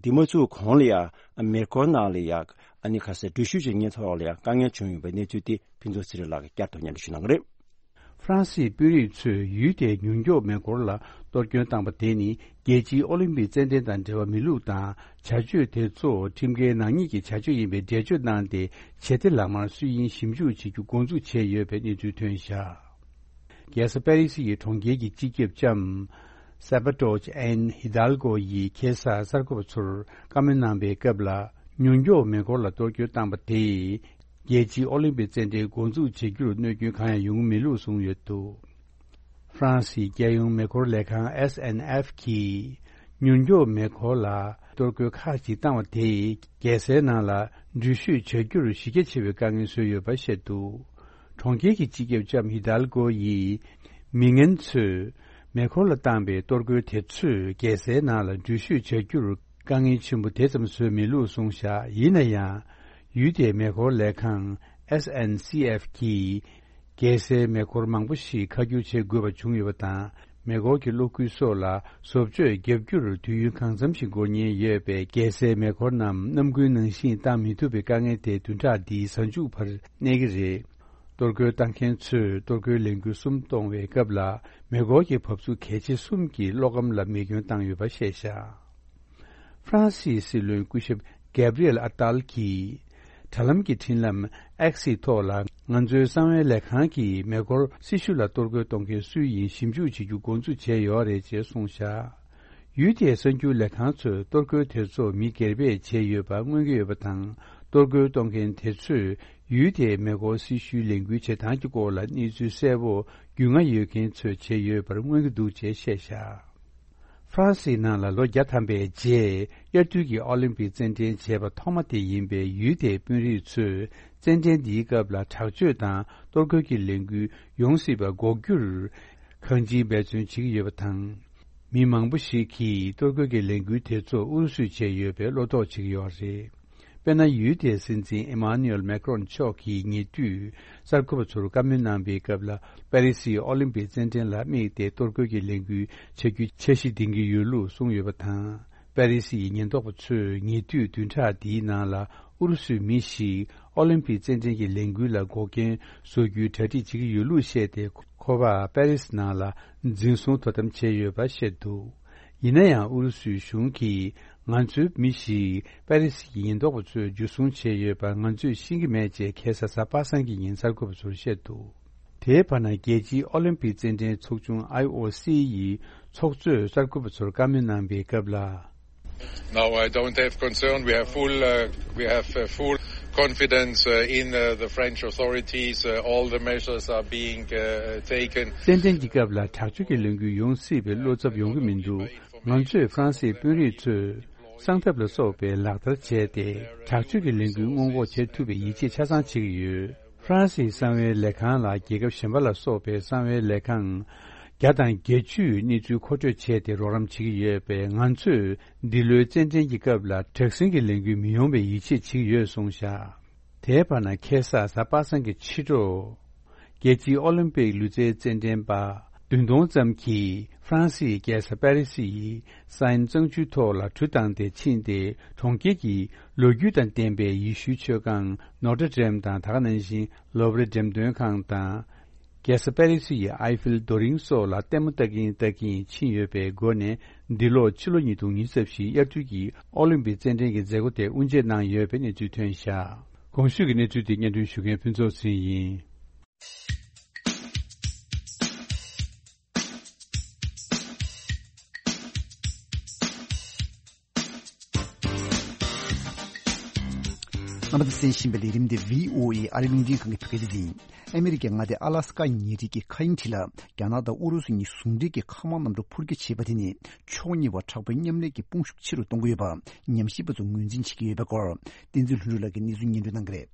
འདི་མ་ཚུགས་གོང་ལ་ཡང་མེ་འཁོར་ནང་ལ་ཡང་ཨ་ནི་ཁ་སའི་འགྲུལ་བཞུད་བྱེད་མཁན་ཐོག་ལ་ཡང་དཀའ་ངལ་བྱུང་ཡོད་པའི་གནས་ཚུལ་དེ་ཕུན་ཚོགས་ཚེ་རིང་ལགས་ཀྱིས་བསྐྱར་དུ་སྙན་སྒྲོན་ཞུ་གནང་གི་རེད། ཧྥ་རན་སིའི་དཔོན་རིགས་ཚོས་ཡུལ་དེའི་ཉུང་མགྱོགས་མེ་འཁོར་ལ་གཏོར་སྐྱོན་བཏང་པ་དེ་ནི་རྒྱལ་སྤྱིའི་ཨོ་ལིམ་པིག་རྩེད་འགྲན་དང་འབྲེལ་བ་མེད་ལུགས་དང་། བྱ་སྤྱོད་དེ་ཚོ་ཁྲིམས་འགལ་ནག་ཉེས་ཀྱི་བྱ་སྤྱོད་ཡིན་པའི་འགྲེལ་བརྗོད་གནང་སྟེ། བྱེད་གཏེ་ལག་དམར་སུ་ཡིན་ཞིབ་འཇུག་བྱེད་རྒྱུ་འགོ་འཛུགས་བྱས་ཡོད་པའི་གནས་ཚུལ་ཐོན་བཞག་རྒྱལ་ས་པེ་རི་སི་ཡི་གྲོང་ཁྱེར་གྱི་སྤྱི་ཁྱབ་ལྕམ་སེ་པ་ཏོ་ཅི་ཨན་ཧི་དཱལ་གོ་ཡིས་ཁ་སང་གསར་འགོད་པ་ཚོར་བཀའ་མོལ་གནང་པའི་སྐབས་ལ། ཉུང་མགྱོགས་མེ་འཁོར་ལ་གཏོར་སྐྱོན་བཏང་པ་དེས་རྒྱལ་སྤྱིའི་ཨོ་ལིམ་པིག་རྩེད་འགྲན་འགོ་འཛུགས་བྱེད་རྒྱུར་གནོད་སྐྱོན་གང་ཡང་ཡོང་གི་མེད་ལུགས་གསུངས་ཡོད་འདུག་ཧྥ་རན་སིའི་རྒྱལ་ཡོངས་མེ་འཁོར་ལས་ཁང་S N F གིས་ཉུང་མགྱོགས་མེ་འཁོར་ལ་གཏོར་རྒོལ་ཁག་ཅིག་བཏང་བ་དེས་རྒྱལ་སའི་ནང་ལ་འགྲུལ་བཞུད་བྱ་རྒྱུར་གཞི་རྒྱ་ཆེ་བའི་དཀའ་ངལ་བཟོས་ཡོད་པ་བཤད་འདུག་གྲོང་ཁྱེར་གྱི་སྤྱི་ཁྱབ་ལྕམ་ཧི་དཱལ་གོ་ཡིས་མི་ངན་ཚོས་མེ་འཁོར་ལ་བཏང་པའི་གཏོར་རྒོལ་དེ་ཚོས་རྒྱལ་སའི་ནང་ལ་འགྲུལ་བཞུད་བྱ་རྒྱུར་དཀའ་ངལ་ཆེན་པོ་དེ་ཙམ་བཟོས་མེད་ལུགས་གསུངས་བཞག་ཡིན་ན་ཡང་། ཡུལ་དེའི་མེ་འཁོར་ལས་ཁང་S N C F གིས་རྒྱལ་སའི་མེ་འཁོར་མང་པོ་ཞིག་ཁ་བསྒྱུར་བྱེད་དགོས་པ་བྱུང་ཡོད་པ་དང་། མེ་འཁོར་གྱི་གློག་སྒུལ་སོགས་ལ་བཟོ་བཅོས་བརྒྱབ་རྒྱུར་དུས་ཡུན་གང་འཚམ་ཞིག་འགོར་ཉེན་ཡོད་པས། རྒྱལ་སའི་མེ་འཁོར་རྣམས་གནམ་དགུན་ནང་བཞིན་བཏང་མི་ཐུབ་པའི་དཀའ་ངལ་དེ་བདུན་ཕྲག་འདིའི་གཟའ་མཇུག་བར་གནས་ཀྱི་རེད། གཏོར་རྒོལ་བཏང་མཁན་ཚོས་གཏོར་རྒོལ་ལས་འགུལ་གསུམ་གཏོང་བའི་སྐབས་ལ། མེ་འཁོར་གྱི་བབས་ཚུགས་གལ་ཆེ་གསུམ་གྱི་གློག་སྒམ་ལ་མེ་སྐྱོན་བཏང་ཡོད་པ་བཤད་བཞག་ཧྥ་རན་སིའི་སྲིད་བློན་སྐུ་ཞབས་གེབ་རི་ཨེལ་ཨ་ཏཱལ་གྱིས། དྲ་ལམ་གྱི་འཕྲིན་ལམ་X ཐོག་ལ། ང་ཚོའི་གསང་བའི་ལས་ཁང་གིས་མེ་འཁོར་སྲི་ཞུ་ལ་གཏོར་རྒོལ་གཏོང་མཁན་སུ་ཡིན་ཞིབ་འཇུག་བྱེད་རྒྱུ་འགོ་འཛུགས་བྱས་ཡོད་རེད་ཅེས་གསུངས་བཞག་ཡུལ་དེའི་གསར་འགྱུར་ལས་ཁང་ཚོས་གཏོར་རྒོལ་དེ་ཚོ་མི་སྒེར་པས་བྱས་ཡོད་པ་མངོན་གྱི་ཡོད་པ་དང་། གཏོར་རྒོལ་གཏོང་མཁན་དེ་ཚོས་ཡུལ་དེའི་མེ་འཁོར་སྲི་ཞུའི་ལས་འགུལ་བྱེད་སྟངས་ཀྱི་སྐོར་ལ་གནས་ཚུལ་གསལ་པོ་རྒྱུས་མངའ་ཡོད་མཁན་ཚོས་བྱས་ཡོད་པར་མངོན་གྱི་འདུག་ཅེས་བཤད་བཞག་ཧྥ་རན་སིའི་ནང་ལ་ལོ་བརྒྱ་ཐམ་པའི་རྗེས་དབྱར་དུས་ཀྱི་ཨོ་ལིམ་པིག་རྩེད་འགྲན་བྱས་པ་ཐོག་མ་དེ་ཡིན་པས། ཡུལ་དེའི་དཔོན་རིགས་ཚོས་རྩེད་འགྲན་འདིའི་སྐབས་ལ་དྲག་སྤྱོད་དང་གཏོར་རྒོལ་གྱི་ལས་འགུལ་ཡོང་སྲིད་པ་འགོག་རྒྱུར་གང་ཅིའི་འབད་བརྩོན་བྱེད་ཀྱི་ཡོད་པ་དང་། མི་མང་པོ་ཞིག་གིས་གཏོར་རྒོལ་གྱི་ལས་འགུལ་དེ་ཚོ་ཨུ་རུ་སུས་བྱས་ཡོད་པའི་བློ་དོགས་བྱེད་ཀྱི་ཡོད་རེད། དཔེར་ན། ཡུལ་དེའི་སྲིད་འཛིན་ཨི་མཱ་ནུ་ཨེལ་མེ་ཀྲོན་མཆོག་གིས་ཉེ་དུས་གསར་འགོད་པ་ཚོར་བཀའ་མོལ་གནང་པའི་སྐབས་ལ། པེ་རི་སིའི་ཨོ་ལིམ་པིག་རྩེད་འགྲན་ལ་དམིགས་ཏེ་གཏོར་རྒོལ་གྱི་ལས་འགུལ་བྱ་རྒྱུའི་འཆར་གཞི་འདིང་གི་ཡོད་ལུགས་གསུངས་ཡོད་པ་དང་། པེ་རི་སི་ཡི་ཉེན་རྟོག་པ་ཚོས་ཉེ་དུས་བདུན་ཕྲག་འདིའི་ནང་ལ་ཨུ་རུ་སུའི་མི་ཞིག་ཨོ་ལིམ་པིག་རྩེད་འགྲན་གྱི་ལས་འགུལ་ལ་འགོག་རྐྱེན་བཟོ་རྒྱུའི་གྲ་སྒྲིག་བྱེད་ཀྱི་ཡོད་ལུགས་བཤད་དེ། ཁོ་པ་པེ་རི་སི་ནང་ལ་འཛིན་བཟུང་དོ་དམ་བྱས་ཡོད་པ་བཤད་འདུག་ཡིན་ན་ཡང་། ཨུ་རུ་སུའི་གཞུང་གིས་ང་ཚོའི་མི་ཞིག་པེ་རི་སི་ཡི་ཉེན་རྟོག་པ་ཚོས་འཇུ་བཟུང་བྱས་ཡོད་པ་ང་ཚོས་ཤེས་ཀྱི་མེད་ཅེས་ཁ་སང་གཟའ་པ་སངས་ཀྱི་ཉིན་གསར་འགོད་པ་ཚོར་བཤད་འདུག་དེའི་བར་ན། རྒྱལ་སྤྱིའི་ཨོ་ལིམ་པིག་རྩེད་འགྲན་ཚོགས་ཆུང་I O C ཡི་ཚོགས་གཙོས་གསར་འགོད་པ་ཚོར་བཀའ་མོལ་གནང་པའི་སྐབས་ལ། No, I don't have concern. We have full, uh, we have uh, full confidence uh, in uh, the French authorities. Uh, all the measures are being uh, taken. རྩེད་འགྲན་གྱི་སྐབས་ལ་དྲག་སྤྱོད་ཀྱི་ལས་འགུལ་ཡོང་སྲིད་པའི་བློ་འཚབ་ཡོང་གི་མི་འདུག་ང་ཚོས་ཧྥ་རན་སིའི་དཔོན་རིགས་ཚོས་གསང་ཐབས་ལ་སོགས་པའི་ལག་བསྟར་བྱས་ཏེ། དྲག་སྤྱོད་ཀྱི་ལས་འགུལ་སྔོན་འགོག་བྱེད་ཐུབ་པའི་ཡིད་ཆེས་ཆ་ཚང་བྱེད་ཀྱི་ཡོད། ཧྥ་རན་སིའི་གསང་བའི་ལས་ཁང་ལ་རྒྱལ་ཁབ་གཞན་པ་ལ་སོགས་པའི་གསང་བའི་ལས་ཁང་བརྒྱ་དང་བརྒྱད་ཅུས་གནས་ཚུལ་མཁོ་སྤྲོད་བྱས་ཏེ་རོགས་རམ་བྱེད་ཀྱི་ཡོད་པས། ང་ཚོས་འདི་ལོའི་རྩེད་འགྲན་གྱི་སྐབས་ལ་དྲག་ཟིང་གི་ལས་འགུལ་མི་ཡོང་བའི་ཡིད་ཆེས་བྱེད་ཀྱི་ཡོད་གསུངས་བཞག་དེའི་བར་ན། ཁ་སང་གཟའ་པ་སངས་ཀྱི་ཕྱི་དྲོ། རྒྱལ་སྤྱིའི་ཨོ་ལིམ་པིག་ལུས་རྩལ་རྩེད་འགྲན་པ་བདུན་སྟོང་ཙམ་གྱིས་ཧྥ་རན་སིའི་རྒྱལ་ས་པེ་རི་སི་ཡི་སའིན་གཙང་ཆུའི་ཐོག་ལ་གྲུ་བཏང་སྟེ་ཕྱིན་ཏེ། གྲོང་ཁྱེར་གྱི་ལོ་རྒྱུས་དང་ལྡན་པའི་ཡེ་ཤུའི་མཆོད་ཁང་ནོ་ཏྲ་ཌེམ་དང་། ད་ག་ནང་བཞིན་ལོབ་རི་འགྲེམས་སྟོན་ཁང་དང་། རྒྱལ་ས་པེ་རི་སི་ཡི་ཨའི་ཧྥིལ་རྡོ་རིང་སོགས་ལ་ལྟད་མོ་ལྟ་གིན་ལྟ་གིན་ཕྱིན་ཡོད་པའི་སྒོ་ནས། འདི་ལོ་ཕྱི་ལོ་ཉིས་སྟོང་ཉི་ཤུ་རྩ་བཞིའི་དབྱར་དུས་ཀྱི་ཨོ་ལིམ་པིག་རྩེད་འགྲན་གྱི་མཛད་སྒོ་དེ་དབུ་འབྱེད་གནང་ཡོད་པའི་གནས་ཚུལ་ཐོན་བཞག་གོང་ཞུས་ཀྱི་གནས་ཚུལ་དེ་སྙན་སྒྲོན་ཞུ་མཁན་ཕུན་ཚོགས་ཟིན་ཡིན། རྣམ་པ་ཚོས་གསན་བཞིན་པའི་ལས་རིམ་འདི་V O A ཨ་རིའི་རླུང་འཕྲིན་ཁང་གི་བོད་སྐད་སྡེ་ཚན་ཡིན། ཨ་མི་རི་ཀའི་མངའ་སྡེ་ཨ་ལ་སི་ཀ་ཉེ་འཁྲིས་ཀྱི་མཁའ་དབྱིངས་འདི་ལ་རྒྱ་ནག་དང་ཨུ་རུ་སུ་གཉིས་ཟུང་འབྲེལ་གྱིས་མཁའ་དམག་གནམ་གྲུ་འཕུར་སྐྱོད་བྱས་པ་དེ་ནི་ཕྱོགས་གཉིས་བར་དྲག་པོའི་མཉམ་ལས་ཀྱི་དཔུང་ཤུགས་ཆེ་རུ་གཏོང་གི་ཡོད་པ་ཉམས་ཞིབ་པ་ཚོས་ངོས་འཛིན་བྱེད་ཀྱི་ཡོད་པའི་སྐོར། བསྟན་འཛིན་ལྷུན་གྲུབ་ལགས་ཀྱིས་གནས་ཚུལ་སྙན་སྒྲོན་གནང་གི་རེད།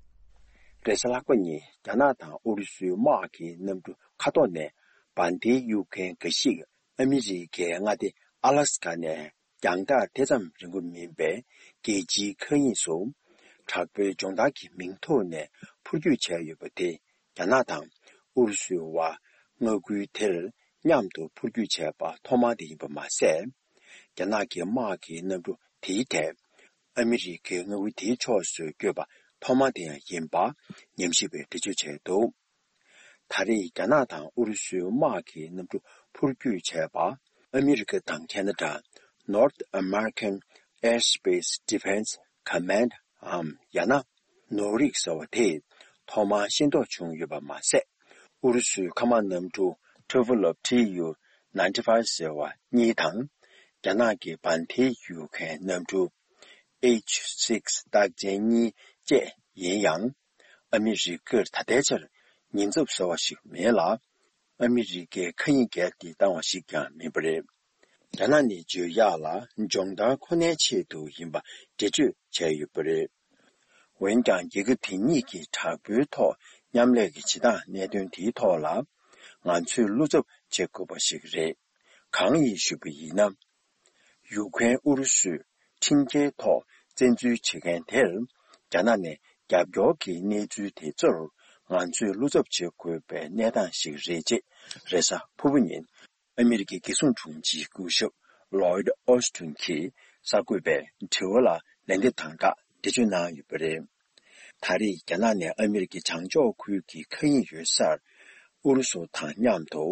རེས་གཟའ་ལྷག་པ་ཉིན་རྒྱ་ནག་དང་ཨུ་རུ་སུའི་དམག་གི་གནམ་གྲུ་མཁའ་ཐོག་ནས་འབར་མདེལ་གཡུག་མཁན་འགའ་ཞིག་ཨ་མི་རི་ཀའི་མངའ་སྡེ་ཨ་ལ་སི་ཀ་ནས་རྒྱང་ཐག་དེ་ཙམ་རིང་པོ་མིན་པའི་རྒྱལ་སྤྱིའི་མཁའ་དབྱིངས་སུ་དྲག་པོའི་སྦྱོང་བརྡར་གྱི་མིང་ཐོག་ནས་འཕུར་སྐྱོད་བྱས་ཡོད་པ་དེ། རྒྱ་ནག་དང་ཨུ་རུ་སུའི་དབར་མངའ་ཁུལ་དེར་མཉམ་དུ་འཕུར་སྐྱོད་བྱས་པ་ཐོག་མ་དེ་ཡིན་པ་མ་ཟད། རྒྱ་ནག་གི་དམག་གི་གནམ་གྲུ་ དེའི་ཐད། ཨ་མི་རི་ཀའི་མངའ་ཁུལ་དེའི་ཕྱོགས་སུ་བསྐྱོད་པ་ཐོག་མ་དེ་ཡང་ཡིན་པ་ཉམས་ཞིབ་པས་འགྲེལ་བརྗོད་བྱས་འདུག་ད་རེས་རྒྱ་ནག་དང་ཨུ་རུ་སུའི་དམག་གི་གནམ་གྲུ་འཕུར་སྐྱོད་བྱས་པ། ཨ་མི་རི་ཀ་དང་ཁེ་ན་ཌ། North American Airspace Defense Command འམ་ཡང་ན་ནོར་རིག་ཟེར་བ་དེས་ཐོག་མར་ཤེས་རྟོགས་བྱུང་ཡོད་པ་མ་ཟད། ཨུ་རུ་སུའི་མཁའ་དམག་གནམ་གྲུ་Tupolev Tu ninety-five ཟེར་བ་གཉིས་དང་། རྒྱ་ནག་གི་བན་དྷེ་ཡུ་ཁན་གནམ་གྲུ་H six རྟགས་ཅན་གཉིས་བཅས་ཡིན་ཡང་། ཨ་མི་རི་ཀར་ད་ལྟའི་ཆར་ཉེན་ཚབས་ཟེར་བ་ཞིག་མེད་ལ། ཨ་མི་རི་ཀའི་མཁའ་དབྱིངས་བརྒལ་ཏེ་བཏང་བ་ཞིག་ཀྱང་མིན་པ་རེད། རྒྱ་ནག་ནས་བརྗོད་ཡག་ལ་སྦྱོང་བརྡར་ཁོ་ནའི་ཆེད་དུ་ཡིན་པ་འགྲེལ་བརྗོད་བྱས་ཡོད་པ་རེད། འོན་ཀྱང་རྒྱལ་ཁབ་དེ་གཉིས་ཀྱི་དྲག་པོའི་ཐོག་མཉམ་ལས་ཀྱི་བྱེད་སྟངས་གནད་དོན་དེའི་ཐོག་ལ་ང་ཚོས་བློ་འཚབ་བྱེད་དགོས་པ་ཞིག་རེད། གང་ཡིན་ཞུས་པ་ཡིན་ན། ཡུ་ཁུ་རེན་ཨུ་རུ་སུས་ཁྲིམས་འགལ་ཐོག་བཙན་འཛུལ་བྱེད་མཁན་དེར་རྒྱ་ནག་ནས་རྒྱབ་སྐྱོར་གྱི་གནས་ཚུལ་དེ་ཚོར་ང་ཚོས་བློ་འཚབ་བྱེད་དགོས་པའི་གནས་སྟངས་ཤིག་རེད་ཅེས་རེས་གཟའ་ཕུར་བུ་ཉིན་ཨ་མི་རི་ཀའི་རྒྱལ་སྲུང་དྲུང་ཆེ་སྐུ་ཞབས་Lloyd Austin གྱིས་གསར་འགོད་པའི་དྲི་བ་ལ་ལན་འདེབས་དང་སྦྲགས་འགྲེལ་བརྗོད་གནང་ཡོད་པ་རེད། ད་རེས་རྒྱ་ནག་ནས་ཨ་མི་རི་ཀའི་བྱང་ཕྱོགས་ཁུལ་གྱི་མཁའ་དབྱིངས་ཡོད་སར་ཨུ་རུ་སུ་དང་མཉམ་དུ་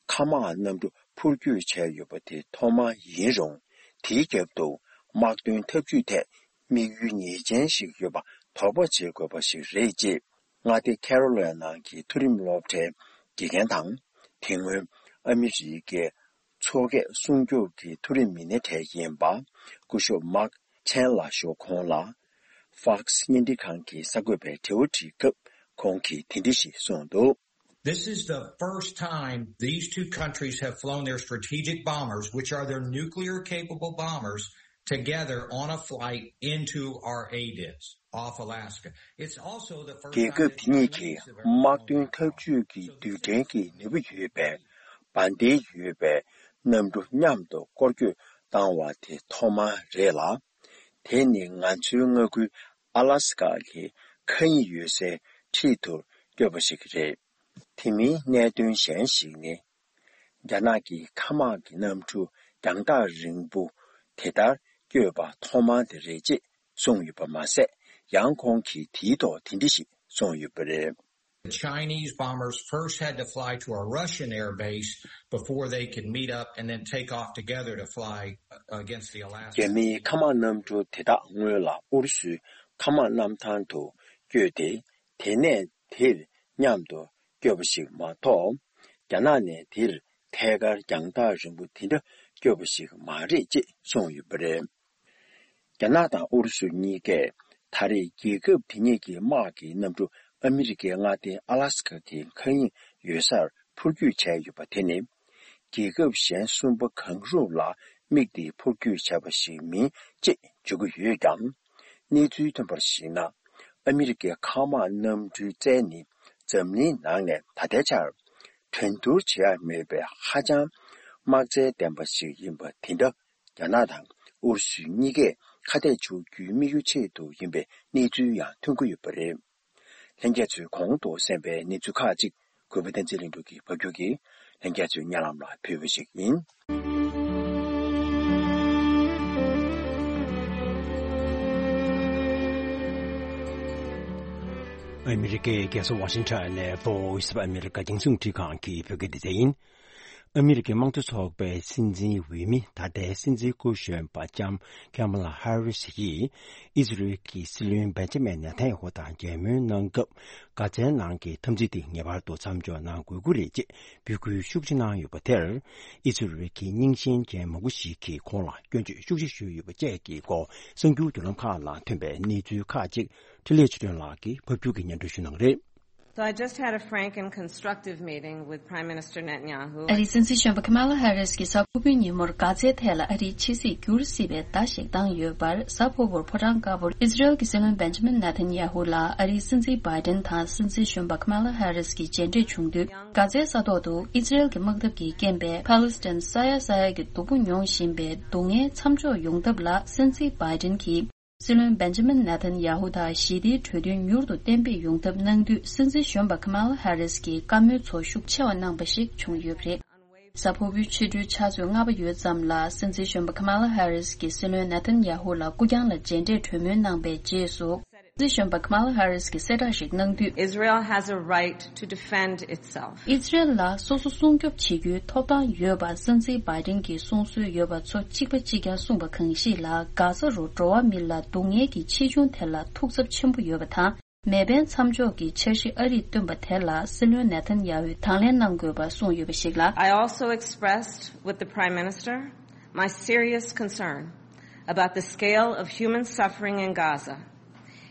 མཁའ་དམག་གནམ་གྲུ་འཕུར་སྐྱོད་བྱས་ཡོད་པ་དེ་ཐོག་མ་ཡིན་རུང་། དེའི་རྒྱབ་ཏུ་དམག་དོན་འཐབ་ཇུས་ཐད་དམིགས་ཡུལ་ངེས་ཅན་ཞིག་ཡོད་པ་དོགས་པ་བྱེད་དགོས་པ་ཞིག་རེད་ཅེས། མངའ་སྡེ་ཁེ་རོ་ལི་ན་གྱི་མཐོ་རིམ་སློབ་གྲྭའི་དགེ་རྒན་དང་། དེ་སྔོན་ཨ་མི་རི་ཀའི་མཚོ་སྐད་སྲུང་སྐྱོབ་ཀྱི་མཐོ་རིམ་མི་སྣ་གྲས་ཡིན་པ་སྐུ་ཞབས་Mark Chen ལགས་ཞུ་ཁོང་ལ་Fox བརྙན་འཕྲིན་ཁང་གིས་གསར་འགོད་པའི་དྲི་བ་དྲིས་སྐབས་ཁོང་གིས་དེ་འདྲ་ཞིག་གསུངས་འདུག། This is the first time these two countries have flown their strategic bombers, which are their nuclear capable bombers, together on a flight into our ADIZ off Alaska. It's also the first རྒྱལ་ཁབ་དེ་གཉིས་ཀྱིས་དམག་དོན་འཐབ་ཇུས་ཀྱི་རྡུལ་ཕྲན་གྱི་ནུས་པ་ཡོད་པའི་བན་དེ་ཡོད་པའི་གནམ་གྲུ་མཉམ་དུ་སྐོར་སྐྱོད་བཏང་བ་དེ་ཐོག་མ་རེད་ལ། དེ་ནི་ང་ཚོའི་མངའ་ཁུལ་ཨ་ལ་སི་ཀ་གི་མཁའ་དབྱིངས་ཡོད་སའི་འཁྲིས་དུ་བསྐྱོད་པ་ཞིག་རེད། དེ་མིན་གནད་དོན་གཞན་ཞིག་ནི། རྒྱ་ནག་གི་མཁའ་དམག་གི་གནམ་གྲུ་རྒྱང་ཐག་རིང་པོ་དེ་ལྟར་བསྐྱོད་པ་ཐོག་མ་དེ་རེད་ཅེས་གསུངས་ཡོད་པ་མ་ཟད། ཡང་ཁོང་གིས་དེའི་ཐོག་དེ་འདྲ་ཞིག་གསུངས་ཡོད་པ་རེད། The Chinese bombers first had to fly to a Russian air base before they could meet up and then take off together to fly against the Alaskan. རྒྱ་མིའི་མཁའ་དམག་གནམ་གྲུ་དེ་དག་སྔོན་ལ་ཨུ་རུ་སུའི་མཁའ་དམག་གནམ་ཐང་དུ་བསྐྱོད་དེ། དེ་ནས་དེར་མཉམ་དུ་བསྐྱོད་པ་ཞིག་མ་གཏོགས། རྒྱ་ནག་ནས་དེར་ཐད་ཀར་རྒྱང་ཐག་རིང་པོ་དེ་འདྲ་བསྐྱོད་པ་ཞིག་མ་རེད་ཅེས་གསུངས་ཡོད་པ་རེད། རྒྱ་ནག་དང་ཨུ་རུ་སུ་གཉིས་ཀས་ད་རེས་རྒྱལ་ཁབ་དེ་གཉིས་ཀྱི་དམག་གི་གནམ་གྲུ་ཨ་མི་རི་ཀའི་མངའ་སྡེ་ཨ་ལ་སི་ཀ་གི་མཁའ་དབྱིངས་ཡོད་སར་འཕུར་སྐྱོད་བྱས་ཡོད་པ་དེ་ནི། རྒྱལ་ཁབ་གཞན་གསུམ་པ་གང་རུང་ལ་དམིགས་ཏེ་འཕུར་སྐྱོད་བྱས་པ་ཞིག་མིན་ཅེས་བརྗོད་ཀྱི་ཡོད་ཀྱང་། གནས་ཚུལ་ཐོན་པར་གཞིགས་ན། ཨ་མི་རི་ཀའི་མཁའ་དམག་གནམ་གྲུའི་རྩལ་ནི་འཛམ་གླིང་ནང་ནས་ད་ལྟའི་ཆར་འགྲན་བསྡུར་བྱེད་ཡ་མེད་པའི་ཧ་ཅང་དམག་རྩལ་ལྡན་པ་ཞིག་ཡིན་པ་དེ་འདྲ། རྒྱ་ནག་དང་ཨུ་རུ་སུ་གཉིས་ཀས་ཁ་གཏད་གཅོག་རྒྱུའི་དམིགས་ཡུལ་ཆེད་དུ་ཡིན་པའི་གནས་ཚུལ་ཡང་ཐོན་གྱི་ཡོད་པ་རེད། ལྷན་རྒྱས་ཚོས་གོང་དུ་གསན་པའི་གནས་ཚུལ་ཁག་ཅིག་གུས་པ་བསྟན་འཛིན་ལྷུན་གྲུབ་ཀྱིས་ཕབ་སྒྱུར་གྱིས་ལྷན་རྒྱས་ཚོའི་སྙན་ལམ་ལ་ཕུལ་བ་ཞིག་ཡིན། ཨ་མི་རི་ཀའི་རྒྱལ་ས་ཝ་ཤིང་ཊོན་ནས་Voice of America རྒྱང་སྲིང་འཕྲིན་ཁང་གི་བོད་སྐད་སྡེ་ཚན་ཡིན། ཨ་མི་རི་ཀའི་དམངས་གཙོ་ཚོགས་པའི་སྲིད་འཛིན་འོས་མི་ད་ལྟའི་སྲིད་འཛིན་སྐུ་གཞོན་པ་ལྕམ་ཀེ་མ་ལ་ཧ་རི་སི་ཡིས་ཨི་ཟི་རེལ་གྱི་སྲིད་བློན་བེན་ཇ་མིན་ནེ་ཐན་ཡ་ཧུ་དང་མཇལ་མོལ་གནང་སྐབས། གྷ་ཛའི་ནང་གི་འཐབ་འཛིང་དེ་ངེས་པར་དུ་མཚམས་འཇོག་གནང་དགོས་ཀྱི་རེད་ཅེས་འབོད་སྐུལ་ཤུགས་ཆེ་གནང་ཡོད་པ་དེར། ཨི་ཟི་རེལ་གྱི་རྙིང་ཞེན་ཅན་མང་པོ་ཞིག་གིས་ཁོང་ལ་སྐྱོན་བརྗོད་ཤུགས་ཆེ་ཞུས་ཡོད་པ་བཅས་ཀྱི་སྐོར་གསར་འགྱུར་བརྒྱུད་ལམ་ཁག་ནང་ཐོན་པའི་གནས་ཚུལ་ཁག་ཅིག་འཕྲིན་ལས་ཆོས་སྒྲོན་ལགས་ཀྱིས་ཕབ་སྒྱུར་གྱིས་སྙན་སྒྲོན་ཞུ་གནང་གི་རེད། So I just had a frank and constructive meeting with Prime Minister Netanyahu. ཨ་རིའི་སྲིད་འཛིན་གཞོན་པ་ཁ་མ་ལ་ཧ་རིས་ཀྱིས་གཟའ་ཕུར་བུའི་ཉིན་མོར་གྷ་ཛའི་ཐད་ལ་ཨ་རིའི་ཕྱི་སྲིད་འགྱུར་སྲིད་པའི་བརྡ་ཞིག་བཏང་ཡོད་པར། གཟའ་ཕུར་བུར་ཕོ་བྲང་དཀར་པོར་ཨི་ཟི་རེལ་གྱི་སྲིད་བློན་བེན་ཇ་མིན་ནེ་ཐན་ཡ་ཧུ་ལ་ཨ་རིའི་སྲིད་འཛིན་བྷའི་ཏན་དང་སྲིད་འཛིན་གཞོན་པ་ཁ་མ་ལ་ཧ་རིས་ཀྱིས་མཇལ་འཕྲད་བྱུང་དུས། གྷ་ཛའི་ས་ཐོག་ཏུ་ཨི་ཟི་རེལ་གྱི་དམག་འཐབ་ཀྱིས་རྐྱེན་པས་ཕཱ་ལེ་སི་ཐན་ས་ཡ་ས་ཡ་གི་སྡུག་པོ་མྱོང་བཞིན་པའི་སྡུག་བསྔལ་མཚམས་འཇོག་ཡོང་ཐབས་ལ་སྲིད་འཛིན་བྷའི་ཏན་གྱིས། སྲིད་བློན་བེན་ཇ་མིན་ནེ་ཐན་ཡ་ཧུ་དང་ཞི་བདེའི་གྲོས་མཐུན་མྱུར་དུ་གཏན་འབེབས་ཡོང་ཐབས་གནང་དུས། སྲིད་འཛིན་གཞོན་པ་ཁ་མ་ལ་ཧ་རིས་ཀྱིས་བཀའ་མོལ་ཚོ་ཤུགས་ཆེ་བ་གནང་པ་ཞིག་བྱུང་ཡོད་པ་རེད། གཟའ་ཕུར་བུའི་ཕྱི་དྲོའི་ཕྱག་ཚོད་ལྔ་པ་ཡོལ་ཙམ་ལ་སྲིད་འཛིན་གཞོན་པ་Kamala Harris གྱིས་སྲིད་བློན་Netanyahu ལ་སྐུ་རྐྱང་ལ་མཇལ་འཕྲད་གྲོས་མོལ་གནང་པའི་རྗེས་སུ། སྲིད་འཛིན་གཞོན་པ་Kamala Harris གྱིས་གསལ་བསྒྲགས་ཤིག་གནང་དུས། Israel has a right to defend itself. ཨི་ཛི་རལ་ལ་སོ་སོ་སྲུང་སྐྱོབ་བྱེད་རྒྱུའི་ཐོབ་ཐང་ཡོད་པ་སྲིད་འཛིན་Biden གྱིས་གསུང་སྲོལ་ཡོད་པ་ཚོ་གཅིག་པ་གཅིག་རྐྱང་གསུངས་པ་གང་ཞིག་ལ། གྷ་ཛ་རུ་འགྲོ་བ་མི་ལ་སྡུག་བསྔལ་གྱི་ཆེ་ཆུང་དེ་ལ་ཐུགས་འཚབ་ཆེན་པོ་ཡོད་པ་དང་། མེ་འཕེན་མཚམས་འཇོག་གི་འཆར་གཞི་ཨ་རིས་བཏོན་པ་དེ་ལ་སྲིད་བློན་Netanyahu དང་ལེན་གནང་དགོས་པ་གསུངས་ཡོད་པ་ཞིག་ལ། I also expressed with the Prime Minister my serious concern about the scale of human suffering in Gaza,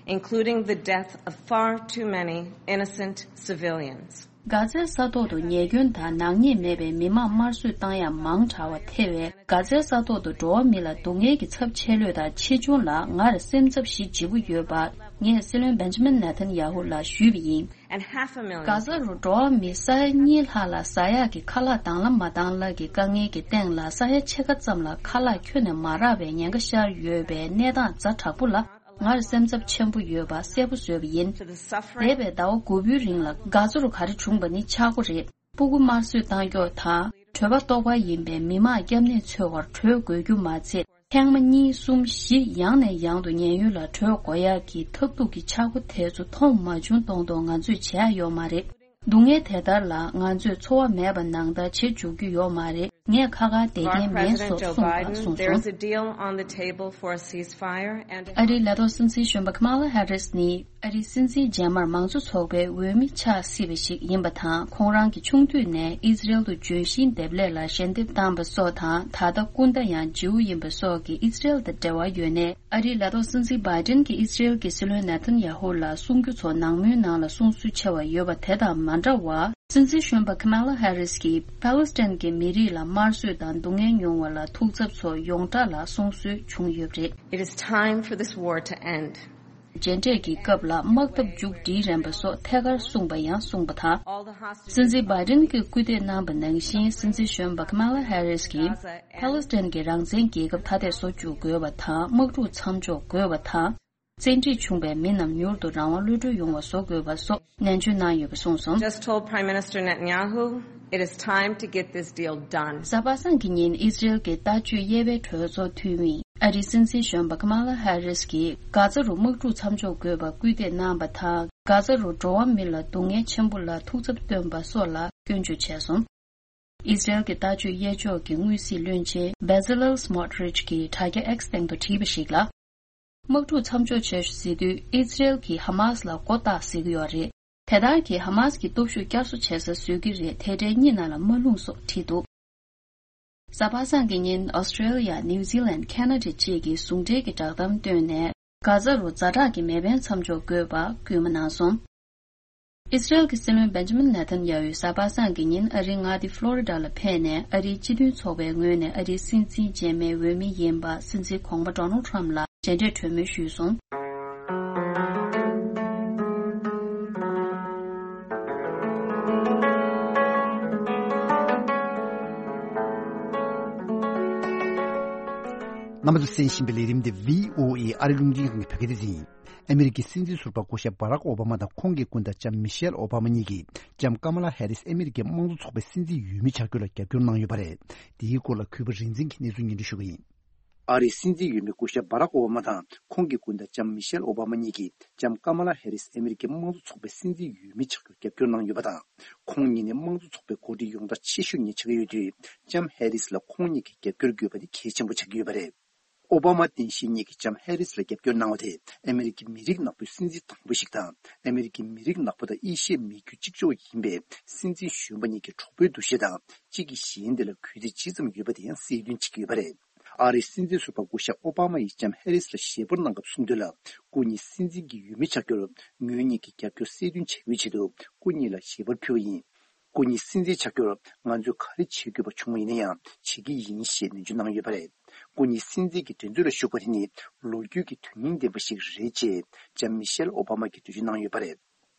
including the death of far too many innocent civilians. གྷ་ཛའི་ས་ཐོག་ཏུ་ཉེས་སྐྱོན་དང་ནག་ཉེས་མེད་པའི་མི་མང་དམར་གསོད་བཏང་ཡ་མང་དྲགས་པ་ཐེ་བའི་གྷ་ཛའི་ས་ཐོག་ཏུ་འགྲོ་བ་མི་ལ་སྡུག་བསྔལ་གྱི་ཚབས་ཆེ་ལོས་དང་ཆེ་ཆུང་ལ་ངར་སེམས་འཚབ་ཞེ་ལྗིད་པོ་ཡོད་པ་ངས་སྲིད་བློན་Benjamin Netanyahu ལ་ཞུས་པ་ཡིན། And half a million གྷ་ཛ་རུ་འགྲོ་བ་མི་ས་ཡ་གཉིས་ལྷག་ལ་ཟ་ཡག་གི་ཁ་ལག་དང་ལ་མ་དང་ལ་གི་དཀའ་ངལ་གྱི་སྟེང་ལ་ས་ཡ་ཕྱེད་ཀ་ཙམ་ལ་ཁ་ལག་ཁྱོན་ནས་མ་རག་པའི་ཉེན་ཁ་ཤར་ཡོད་པའི་གནས་སྟངས་ཛ་དྲག་པོ་ལ། ངར་སེམས་འཚབ་ཆེན་པོ་ཡོད་པ་གསལ་པོ་བཟོས་པ་ཡིན། To the suffering འདས་པའི་ཟླ་བ་དགུ་པོའི་རིང་ལ་གྷ་ཛ་རུ་ག་རེ་བྱུང་པ་ནི་ཆག་སྒོ་རེད། སྤུ་གུ་དམར་གསོད་བཏང་རྒྱུ་དང་གྲོད་པ་ལྟོགས་པ་ཡིན་པའི་མི་མང་སྐྱབས་གནས་འཚོལ་བར་བྲོས་དགོས་རྒྱུ་མ་ཚད། ཐེངས་མ་གཉིས་གསུམ་བཞི་ཡང་ནས་ཡང་དུ་ཉེན་གཡོལ་ལ་བྲོས་དགོས་ཡག་གི་ཐབས་སྡུག་གི་ཆག་སྒོ་དེ་ཚོ་མཐོང་མ་བྱུང་མཐོང་མཐོང་ང་ཚོས་བྱེད་ཡག་ཡོད་མ་རེད། སྡུག་བསྔལ་དེ་ལྟར་ལ་ང་ཚོས་འཚོ་བ་མེད་པ་ནང་ལྟར་བྱེད་འཇུག་རྒྱུ་ཡོད་མ་རེད། ངས་ཁ་ཁ་བསྡད་མཁན་མེད་སོགས་གསུངས་པ་གསུངས་སོང་། There is a deal on the table for a ceasefire and ཨ་རིའི་ལས་ཐོག་སྲིད་འཛིན་གཞོན་པ་Kamala Harris ནི་ཨ་རིའི་སྲིད་འཛིན་རྗེས་མར་མང་གཙོ་ཚོགས་པའི་འོས་མི་ཆགས་སྲིད་པ་ཞིག་ཡིན་པ་དང་། ཁོང་རང་གིས་ཆུང་དུས་ནས་ཨི་ཛི་རལ་དུ་ལྗོན་ཤིང་འདེབས་ལས་ལ་ཞལ་འདེབས་བཏང་པ་སོགས་དང་། ད་ལྟ་སྐུ་ཟླ་ཡང་བརྗེ་པོ་ཡིན་པ་སོགས་ཀྱིས་ཨི་ཛི་རལ་དང་འབྲེལ་བ་ཡོད་ནས། ཨ་རིའི་ལས་ཐོག་སྲིད་འཛིན་Biden གྱིས་ཨི་ཛི་རལ་གྱི་སྲིད་བློན་Netanyahu ལ་གསུང་རྒྱུ་ཚོ་ནང་མོལ་ནང་ལ་གསུང་སྲོལ་ཆེ་བ་ཡོད་པ་དེ་དང་མ་འདྲ་བར། སྲིད་འཛིན་གཞོན་པ་Kamala Harris གྱིས་Palestine གྱི་མི་རིགས་ལ་དམར་གསོད་དང་སྡུག་བསྔལ་མྱོང་བ་ལ་ཐུགས་འཚབ་ཚོ་ཡོངས་གྲགས་ལ་གསུང་སྲོལ་བྱུང་ཡོད་པ་རེད། It is time for this war to end. མཇལ་འཕྲད་ཀྱི་སྐབས་ལ་དམག་འཐབ་མཇུག་སྒྲིལ་རན་པ་སོགས་ཐད་ཀར་གསུངས་པ་ཡང་གསུངས་པ་དང་། All the hostage སྲིད་འཛིན་Biden གྱིས་སྐུལ་འདེད་གནང་པ་ནང་བཞིན། སྲིད་འཛིན་གཞོན་པ་Kamala Harris གྱིས་Palestine གྱི་རང་བཙན་རྒྱལ་ཁབ་ཐ་དད་བཟོ་བཅུག་དགོས་པ་དང་། དམག་འཁྲུག་མཚམས་འཇོག་དགོས་པ་དང་། བཙན་ཁྲིད་བྱུང་བའི་མི་རྣམས་མྱུར་དུ་རང་དབང་གློད་གྲོལ་ཡོང་བ་བཟོ་དགོས་པ་སོགས་ནན་བརྗོད་གནང་ཡོད་པ་གསུངས་སོང་། Just told Prime Minister Netanyahu it is time to get this deal done. གཟའ་པ་སངས་ཀྱི་ཉིན་ཨི་ཛི་རལ་གྱི་ལྟ་སྤྱོད་དབྱེ་བའི་གྲོས་ཚོགས་འཐུས་མིས་ཨ་རིའི་སྲིད་འཛིན་གཞོན་པ་Kamala Harris གྱིས་གྷ་ཛ་རུ་དམག་འཁྲུག་མཚམས་འཇོག་དགོས་པ་སྐུལ་འདེད་གནང་བ་དང་། གྷ་ཛ་རུ་འགྲོ་བ་མི་ལ་སྡུག་བསྔལ་ཆེན་པོ་ལ་ཐུགས་འཚབ་བཏོན་པ་སོགས་ལ་སྐྱོན་བརྗོད་བྱས་སོང་། ཨི་ཛི་རལ་གྱི་ལྟ་སྤྱོད་དབྱེ་ཕྱོགས་ཀྱི་དངོས་གཟིགས་བློན་ཆེན་Bezalel Smotrich གྱིས་དྲ་རྒྱ་X སྟེང་དུ་བྲིས་པ་ཞིག་ལ། དམག་འཁྲུག་མཚམས་འཇོག་བྱེད་ཤོག་ཟེར་དུས་ཨི་ཛི་རལ་གྱིས་ཧ་མཱས་ལ་མགོ་བཏགས་ཟེར་གྱི་ཡོད་རེད། དེ་ལྟར་གྱིས་ཧ་མཱས་ཀྱི་སྟོབས་ཤུགས་བསྐྱར་གསོ་བྱེད་ས་བཟོ་གི་རེད། དེ་འདྲའི་གཉིས་ནང་ལ་མ་ལྷུང་སོགས་བྲིས་འདུག་གཟའ་པ་སངས་ཀྱི་ཉིན་ཨོ་སི་ཀྲེ་ལི་ཡ། ནིའུ་ཛི་ལན། ཁེ་ན་ཌ་བཅས་ཀྱིས་ཟུང་འབྲེལ་གྱི་བསྒྲགས་གཏམ་བཏོན་ནས། གྷ་ཛ་རུ་ཛ་དྲག་གི་མེ་འཕེན་མཚམས་འཇོག་དགོས་པ་སྐུལ་མ་གནང་སོང་། ཨི་ཛི་རལ་གྱི་སྲིད་བློན་Benjamin Netanyahu གཟའ་པ་སངས་ཀྱི་ཉིན་ཨ་རིའི་མངའ་སྡེ་ཕློ་རི་ཌ་ལ་ཕེབས་ནས། ཨ་རིའི་སྤྱི་མཐུན་ཚོགས་པའི་ངོས་ནས་ཨ་རིའི་སྲིད་འཛིན་རྗེས་མའི་འོས་མི་ཡིན་པ། སྲིད་འཛིན་གོང་མ་Donald Trump ལ་མཇལ་འཕྲད་གྲོས་མོལ་ཞུས་སོང་། རྣམ་པ་ཚོས་གསན་བཞིན་པའི་ལས་རིམ་འདི་བྷི་ཨོ་ཨེ་ཨ་རི་རླུང་འཕྲིན་ཁང་གི་བོད་སྐད་སྡེ་ཚན་ཡིན། ཨ་མི་རི་ཀའི་སྲིད་འཛིན་ཟུར་པ་སྐུ་ཞབས་Barack Obama དང་ཁོང་གི་སྐུ་ཟླ་ལྕམ་Michelle Obama གཉིས་ཀྱིས་ལྕམ་Kamala Harris ཨ་མི་རི་ཀའི་དམངས་གཙོ་ཚོགས་པའི་སྲིད་འཛིན་འོས་མི་ཆགས་རྒྱུ་ལ་རྒྱབ་སྐྱོར་གནང་ཡོད་པ་རེད། འདིའི་སྐོར་ལ་གུས་པ་རིག་འཛིན་གྱིས་གནས་ཚུལ་སྙན་སྒྲོན་ཞུ་གི་ཡིན། ཨ་རིའི་སྲིད་འཛིན་འོས་མི་སྐུ་ཞབས་Barack Obama དང་ཁོང་གི་སྐུ་ཟླ་ལྕམ་Michelle Obama གཉིས་ཀྱིས་ལྕམ་Kamala Harris ཨ་མི་རི་ཀའི་དམངས་གཙོ་ཚོགས་པའི་སྲིད་འཛིན་འོས་མི་ཆགས་རྒྱུར་རྒྱབ་སྐྱོར་གནང་ཡོད་པ་དང་། ཁོང་གཉིས་ནི་དམངས་གཙོ་ཚོགས་པའི་འགོ་ཁྲིད་ཡོངས་གྲགས་ཆེ་ཤོས་གཉིས་ཆགས་ཀྱི་ཡོད་དུས། ལྕམ་Harris ལ་ཁོང་གཉིས་ཀྱི་རྒྱབ་སྐྱོར་དགོས་པ་ནི་གལ་ཆེན་པོ་ཆགས་ཀྱི་ཡོད་པ་རེད། ཨོ་བྷ་མ་རྟེན་གཞིའི་གཉིས་ཀྱིས་ལྕམ་ཧེ་རིས་ལ་རྒྱབ་སྐྱོར་གནང་བ་དེ་ཨ་མེ་རི་ཀའི་མི་རིགས་ནག་པོའི་སྲིད་འཛིན་དང་པོ་ཞིག་དང་། ཨ་མེ་རི་ཀའི་མི་རིགས་ནག་པོ་དང་ཨེ་ཤི་ཡའི་མི་རྒྱུད་གཅིག་ལྕོགས་ཡིན་པའི་སྲིད་འཛིན་གཞོན་པ་གཉིས་ཀྱི་གྲོགས་པོའི་འདུ་ཤེས་དང་། གཅིག་གིས་གཞན་དེ་ལ་གུས་བརྩི་ཇི་ཙམ་ཡོད་པ་དེ་ཡང་གསལ་སྟོན་བྱེད་ཀྱི་ཡོད་པ་རེད། ཨ་རིའི་སྲིད་འཛིན་ཟུར་པ་སྐུ་ཞབས་ཨོ་བྷ་མ་ཡིས་ལྕམ་ཧེ་རིས་ལ་ཞལ་པར་གནང་སྐབས་གསུངས་དོན་ལ། སྐུ་ཉིད་སྲིད་འཛིན་གྱི་འོས་མི་ཆགས་རྒྱུར་ངོས་གཉིས་ཀྱི་རྒྱབ་སྐྱོར་གསལ་སྟོན་བྱ་རྒྱུའི་ཆེད་དུ་སྐུ་ཉིད་ལ་ཞལ་པར་ཕུལ་བ་ཡིན། སྐུ་ཉིད་སྲིད་འཛིན་ཆགས་རྒྱུར་ང་ཚོས་ག་རེ་བྱེད་དགོས་པ་བྱུང་བ་ཡིན་ན་ཡང་བྱེད་ཀྱི་ཡིན་ཞེས་ནན་བརྗོད་གནང་ཡོད་པ་རེད། སྐུ་ཉིད་སྲིད་འཛིན་གྱི་འགྲན་རྩོད་ལ་ཞུགས་པ་དེ་ནི་ལོ་རྒྱུས་ཀྱི་དོན་སྙིང་ལྡན་པ་ཞིག་རེད་ཅེས་ལྕམ་མི་ཤེལ་ཨོ་བྷ་མ་གིས་འགྲེལ་བརྗོད་གནང་ཡོད་པ་རེད།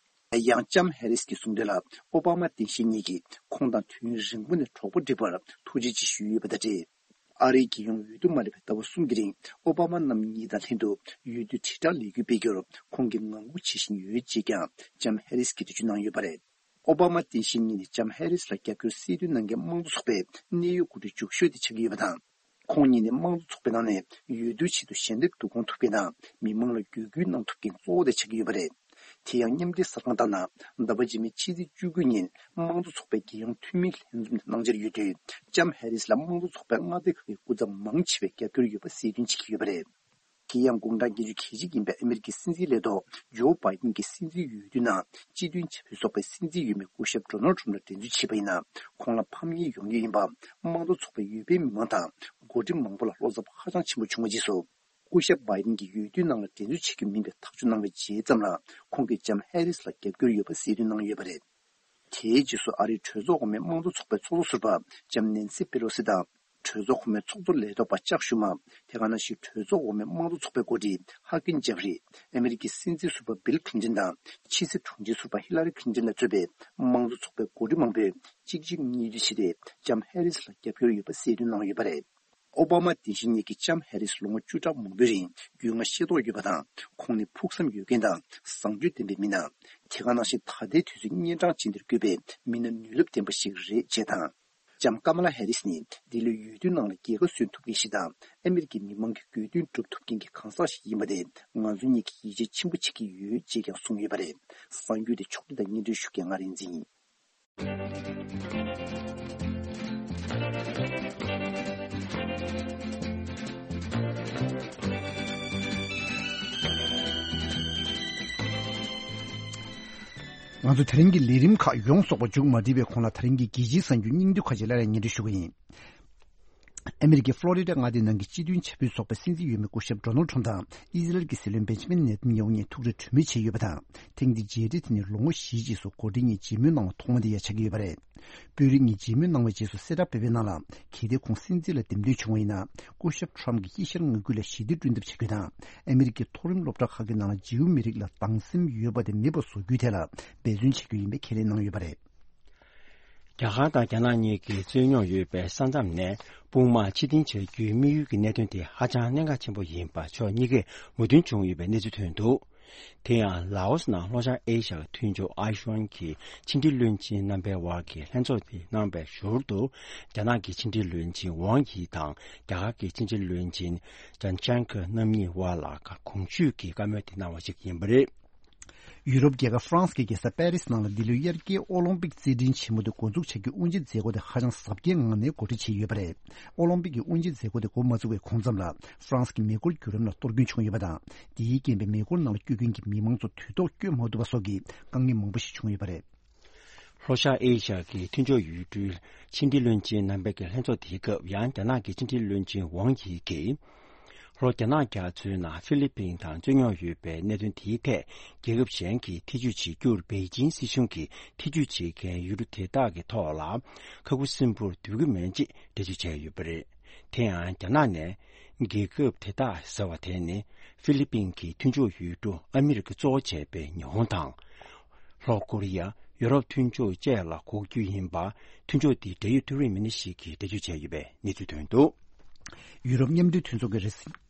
ཡང་ལྕམ་ཧེ་རིས་ཀྱིས་གསུངས་དོན་ལ། ཨོ་བྷ་མ་རྟེན་གཞི་གཉིས་ཀྱིས་ཁོང་དང་དུས་ཡུན་རིང་པོ་ནས་གྲོགས་པོ་བསྒྲིགས་པར་ཐུགས་རྗེ་ཆེ་ཞུས་ཡོད་པ་དང་འབྲེལ། ཨ་རིའི་རྒྱལ་ཡོངས་འོས་བསྡུ་མ་སླེབས་པའི་ཟླ་བ་གསུམ་གྱི་རིང་ཨོ་བྷ་མ་རྣམ་གཉིས་དང་ལྷན་དུ་འོས་བསྡུ་དྲིལ་བསྒྲགས་ལས་འགུལ་སྤེལ་རྒྱུར་ཁོང་གིས་ངང་སྒུག་བྱེད་བཞིན་ཡོད་ཅེས་ཀྱང་ལྕམ་ཧེ་རིས་ཀྱིས་འགྲེལ་བརྗོད་གནང་ཡོད་པ་རེད། ཨོ་བྷ་མ་སྟངས་དབྱིན་གཉིས་ནི་ལྕམ་ཧེ་རིས་ལ་རྒྱབ་སྐྱོར་གསལ་སྟོན་གནང་མཁན་དམངས་གཙོ་ཚོགས་པའི་གནད་ཡོད་འགོ་ཁྲིད་མགྱོགས་ཤོས་དེ་ཆགས་ཀྱི་ཡོད་པ་དང་། ཁོང་གཉིས་ནི་དམངས་གཙོ་ཚོགས་པའི་ནང་ནས་འོས་བསྡུ་ཆེད་དུ་ཞལ་འདེབས་བསྡུ་སྐོང་ཐུབ་མཁན་དང་མི་མང་ལ་བརྒྱུད་སྐུལ་གནང་ཐུབ་མཁན་གཙོ་བོ་དེ་ཆགས་ཀྱི་ཡོད་པ་རེད། དེ་ཡང་མཉམ་འབྲེལ་གསར་ཁང་ལྟར་ན། ཟླ་བ་རྗེས་མའི་ཕྱི་ཚེས་བཅུ་དགུ་ཉིན་དམངས་གཙོ་ཚོགས་པའི་རྒྱལ་ཡོངས་འཐུས་མིའི་ལྷན་འཛོམས་དེ་གནང་འཆར་ཡོད་དུས། ལྕམ་ཧེ་རིས་ལ་དམངས་གཙོ་ཚོགས་པའི་མངའ་སྡེ་ཁག་གི་སྐུ་ཚབ་མང་ཆེ་བས་རྒྱབ་སྐྱོར་ཡོད་པ་གསལ་སྟོན་བྱེད་ཀྱི་ཡོད་པ་རེད། དེ་ཡང་དགུང་གྲངས་བརྒྱད་ཅུ་གྱ་གཅིག་ཡིན་པའི་ཨ་མེ་རི་ཀའི་སྲིད་འཛིན་ལས་ཐོག་ཇོ་བྷའི་ཏིན་གྱི་སྲིད་འཛིན་འོས་བསྡུའི་ནང་སྤྱི་མཐུན་བྱ་འཕུར་ཚོགས་པའི་སྲིད་འཛིན་འོས་མི་སྐུ་ཞབས་ཌོ་ནལ་ཁྲམ་ལ་འགྲན་རྩོད་བྱས་པ་ཡིན་ན། ཁོང་ལ་ཕམ་ཉེས་ཡོང་རྒྱུ་ཡིན་པ། དམངས་གཙོ་ཚོགས་པའི་འོས་འཕེན་མི་མང་དང་འགོ་ཁྲིད་མང་པོ་ལ་བློ་འཚབ་ཧ་ཅང་ཆེན་པོ་བྱུང་བའི་རྗེས་སུ། སྐུ་ཞབས་བྷའི་ཏིན་གྱིས་འོས་བསྡུའི་ནང་ལ་འགྲན་རྩོད་བྱེད་རྒྱུ་མིན་པའི་ཐག་གཅོད་གནང་བའི་རྗེས་ཙམ་ལ། ཁོང་གིས་ལྕམ་ཧེ་རིས་ལ་རྒྱབ་སྐྱོར་ཡོད་པ་གསལ་སྟོན་གནང་ཡོད་པ་རེད། དེའི་རྗེས་སུ་ཨ་རིའི་གྲོས་ཚོགས་འོག་མའི་དམངས་གཙོ་ཚོགས་པའི་ཚོགས་གཙོ་ཟུར་པ་ལྕམ་ནན་སི་པེ་ལོ་སི་དང་། གྲོས་ཚོགས་འོག་མའི་ཚོགས་གཙོ་ལས་ཐོག་པ་ཅག་ཤུ་མ། དེ་ག་ནང་བཞིན་གྲོས་ཚོགས་འོག་མའི་དམངས་གཙོ་ཚོགས་པའི་འགོ་ཁྲིད་ཧ་ཀིན་ཇེ་ཧྥི་རི། ཨ་མེ་རི་ཀའི་སྲིད་འཛིན་ཟུར་པ་བིལ་ཁི་ལིན་ཏོན་དང་ཕྱི་སྲིད་དྲུང་ཆེ་ཟུར་པ་ཧི་ལ་རི་ཁི་ལིན་ཏོན་ལ་གཙོས་པའི་དམངས་གཙོ་ཚོགས་པའི་འགོ་ཁྲིད་མང་པོས་གཅིག་རྗེས་གཉིས་མཐུད་བྱས་ཏེ་ལྕམ་ཧེ་རིས་ལ་རྒྱབ་སྐྱོར་ཡོད་པ་གསལ་སྟོན་གནང་ཡོད་པ་རེད། ཨོ་བྷ་མ་དེ་བཞིན་ཉིད་ཀྱིས་ལྕམ་ཧེ་རིས་ལོ་ངོ་བཅུ་ཕྲག་མང་པོའི་རིང་རྒྱུས་མངའ་ཤེས་རྟོགས་ཡོད་པ་དང་། ཁོང་ནི་ཕུགས་བསམ་ཡོད་མཁན་དང་བཟང་སྤྱོད་ལྡན་པའི་མི་སྣ། དེ་ག་ནང་བཞིན་ད་ལྟའི་དུས་ཚོད་གཉན་འཕྲང་ཅན་འདིར་བཀོད་པའི་མི་སྣ་ནུས་ལབ་ལྡན་པ་ཞིག་རེད་ཅེས་དང་། ལྕམ་ཀ་མ་ལ་ཧེ་རིས་ནི་འདི་ལོའི་འོས་བསྡུ་ནང་ལ་རྒྱལ་ཁ་སོན་ཐུབ་མཁན་ཞིག་དང་། ཨ་མེ་རི་ཀའི་མི་མང་གི་དགོས་འདུན་སྒྲུབ་ཐུབ་མཁན་གྱི་གང་ཟག་ཞིག་ཡིན་པ་དེ་ང་ཚོ་གཉིས་ཀྱིས་ཡིད་ཆེས་ཆེན་པོ་བྱེད་ཀྱི་ཡོད་ཅེས་ཀྱང་གསུངས་ཡོད་པ་རེད། གསར་འགྱུར་དེ་ཕྱོགས་སྒྲིག་དང་སྙན་སྒྲོན་ཞུ་མཁན་ང་རིག་འཛིན་ཡིན། ང་ཚོ་དེ་རིང་གི་ལས་རིམ་ཁག་ཡོངས་རྫོགས་པ་མཇུག་མ་སྒྲིལ་བའི་གོང་ལ། དེ་རིང་གི་རྒྱལ་སྤྱིའི་གསར་འགྱུར་སྙིང་བསྡུས་ཁག་ཅིག་སླར་ཡང་སྙན་སྒྲོན་ཞུ་གི་ཡིན། ཨ་མེ་རི་ཀའི་ཕློ་རི་ཌ་མངའ་སྡེའི་ནང་གི་སྤྱི་མཐུན་བྱ་འཕུར་ཚོགས་པའི་སྲིད་འཛིན་འོས་མི་སྐུ་ཞབས་ཌོ་ནལ་ཁྲམ་དང་ཨི་ཟི་རལ་གྱི་སྲིད་བློན་བེན་ཇ་མིན་ནེ་ཐན་ཡ་ཧུ་གཉིས་ཐུག་འཕྲད་གྲོས་མོལ་བྱས་ཡོད་པ་དང་། ཐེངས་འདིའི་མཇལ་འཕྲད་དེ་ནི་ལོ་ངོ་བཞིའི་རྗེས་སུ་འགོ་ཁྲིད་གཉིས་མཇལ་མོལ་གནང་བ་ཐོག་མ་དེ་ཡང་ཆགས་ཀྱི་ཡོད་པ་རེད། དཔོན་རིགས་གཉིས་མཇལ་མོལ་གནང་བའི་རྗེས་སུ་གསལ་བསྒྲགས་སྤེལ་བའི་ནང་ལ། གལ་ཏེ་ཁོང་སྲིད་འཛིན་ལ་འདེམས་ཐོན་བྱུང་བ་ཡིན་ན། སྐུ་ཞབས་ཁྲམ་གྱིས་དབྱེ་ཞར་ངོ་རྒོལ་ལ་ཞི་བདེ་བསྐྲུན་ཐབས་བྱ་རྒྱུ་དང་། ཨ་མེ་རི་ཀའི་མཐོ་རིམ་སློབ་གྲྭ་ཁག་གི་ནང་ལ་འཇིའུ་མི་རིགས་ལ་སྡང་སེམས་ཡོད་པ་དེ་མེད་པ་བཟོ་རྒྱུའི་ཐད་ལ་འབད་བརྩོན་བྱེད་རྒྱུ་ཡིན་པའི་ཁས་ལེན་གནང་ཡོད་པ་རེད། རྒྱ་གར་དང་རྒྱ་ནག་གཉིས་ཀྱིས་རྩོད་རྙོག་ཡོད་པའི་ས་མཚམས་ནས་དཔུང་དམག་ཕྱིར་འཐེན་བྱ་རྒྱུའི་དམིགས་ཡུལ་གྱི་གནད་དོན་དེ་ཧ་ཅང་གནད་འགག་ཆེན་པོ་ཡིན་པ་ཕྱོགས་གཉིས་ཀས་མོས་མཐུན་བྱུང་ཡོད་པའི་གནས་ཚུལ་ཐོན་འདུག་དེ་ཡང་ལའོ་སི་ནང་ལྷོ་ཤར་ཨེ་ཤ་ཡའི་མཐུན་ཕྱོགས་ཨའི་ཤུའན་གྱི་ཕྱི་འབྲེལ་བློན་ཆེན་རྣམ་པའི་དབར་གྱི་ལྷན་ཚོགས་དེ་གནང་བའི་ཞོར་དུ། རྒྱ་ནག་གི་ཕྱི་འབྲེལ་བློན་ཆེན་ཝང་ཡི་དང་རྒྱ་གར་གྱི་ཕྱི་འབྲེལ་བློན་ཆེན་ཇན་ཅན་ཁ་རྣམ་གཉིས་དབར་ལ་གོང་ཞུས་ཀྱི་བཀའ་མོལ་དེ་གནང་བ་ཞིག་ཡིན་པ་རེད། ཡུ་རོབ་རྒྱལ་ཁབ་ཧྥ་རན་སི་གི་རྒྱལ་ས་པེ་རི་སི་ནང་ལ་འདི་ལོའི་དབྱར་སྐྱེལ་ཨོ་ལིམ་པིག་རྩེད་འགྲན་ཆེན་མོ་དེ་འགོ་འཛུགས་བྱ་རྒྱུའི་དབུ་འབྱེད་མཛད་སྒོ་དེ་ཧ་ཅང་གཟབ་རྒྱས་ངང་ནས་གོ་སྒྲིག་བྱས་ཡོད་པ་རེད། ཨོ་ལིམ་པིག་གི་དབུ་འབྱེད་མཛད་སྒོ་དེ་འགོ་མ་བཙུགས་པའི་གོང་ཙམ་ལ། ཧྥ་རན་སི་གི་མེ་འཁོར་བརྒྱུད་རིམ་ལ་གཏོར་སྐྱོན་བྱུང་ཡོད་པ་དང་། དེའི་རྐྱེན་པས་མེ་འཁོར་ནང་ལ་སྐྱོད་མཁན་གྱི་མི་མང་ཚོ་དུས་ཐོག་སྐྱོད་མ་ཐུབ་པ་སོགས་ཀྱི་དཀའ་ངལ་མང་པོ་ཞིག་བྱུང་ཡོད་པ་རེད། ལྷོ་ཤར་ཨེ་ཤ་ཡ་གི་མཐུན་ཕྱོགས་ཡུལ་གྲུའི་ཕྱི་འབྲེལ་བློན་ཆེན་རྣམ་པའི་གི་ལྷན་ཚོགས་དེའི་སྐབས། ཡང་རྒྱ་ནག་གི་ཕྱི་འབྲེལ་བློན་ཆེན་ཝང་ཡི་གིས། ལྷོ་རྒྱ་ནག་རྒྱ་མཚོའི་ནང་ཧྥི་ལི་པིན་དང་རྩོད་རྙོག་ཡོད་པའི་གནད་དོན་དེའི་ཐད། རྒྱལ་ཁབ་གཞན་གྱིས་ཐེ་ཇུས་བྱེད་རྒྱུར་པེ་ཅིན་སྲིད་གཞུང་གིས་ཐེ་ཇུས་བྱེད་མཁན་ཡུལ་གྲུ་དེ་དག་གི་ཐོག་ལ་ཁ་ཁུ་སིམ་པོར་སྡོད་ཀྱི་མེད་ཅེས་འགྲེལ་བརྗོད་བྱས་ཡོད་པ་རེད། དེ་ཡང་རྒྱ་ནག་ནས་རྒྱལ་ཁབ་དེ་དག་ཟེར་བ་དེ་ནི་ཧྥི་ལི་པིན་གྱི་མཐུན་ཕྱོགས་ཡུལ་གྲུ་ཨ་མི་རི་ཀ་གཙོ་བོ་བྱས་པའི་ཉི་ཧོང་དང་། ལྷོ་ཀོ་རི་ཡ། ཡུ་རོབ་མཐུན་ཕྱོགས་བཅས་ལ་གོ་རྒྱུ་ཡིན་པ། མཐུན་ཕྱོགས་འདིའི་འབྲེལ་ཡོད་ཐུགས་རེ་མི་སྣ་ཞིག་གིས་འགྲེལ་བརྗོད་བྱས་ཡོད་པའི་གནས་ཚུལ་ཐོན་འདུག་ཡུ་རོབ་མཉམ་འབྲེལ་མཐུན་ཚོགས་ཀྱིས་རེས་གཟའ་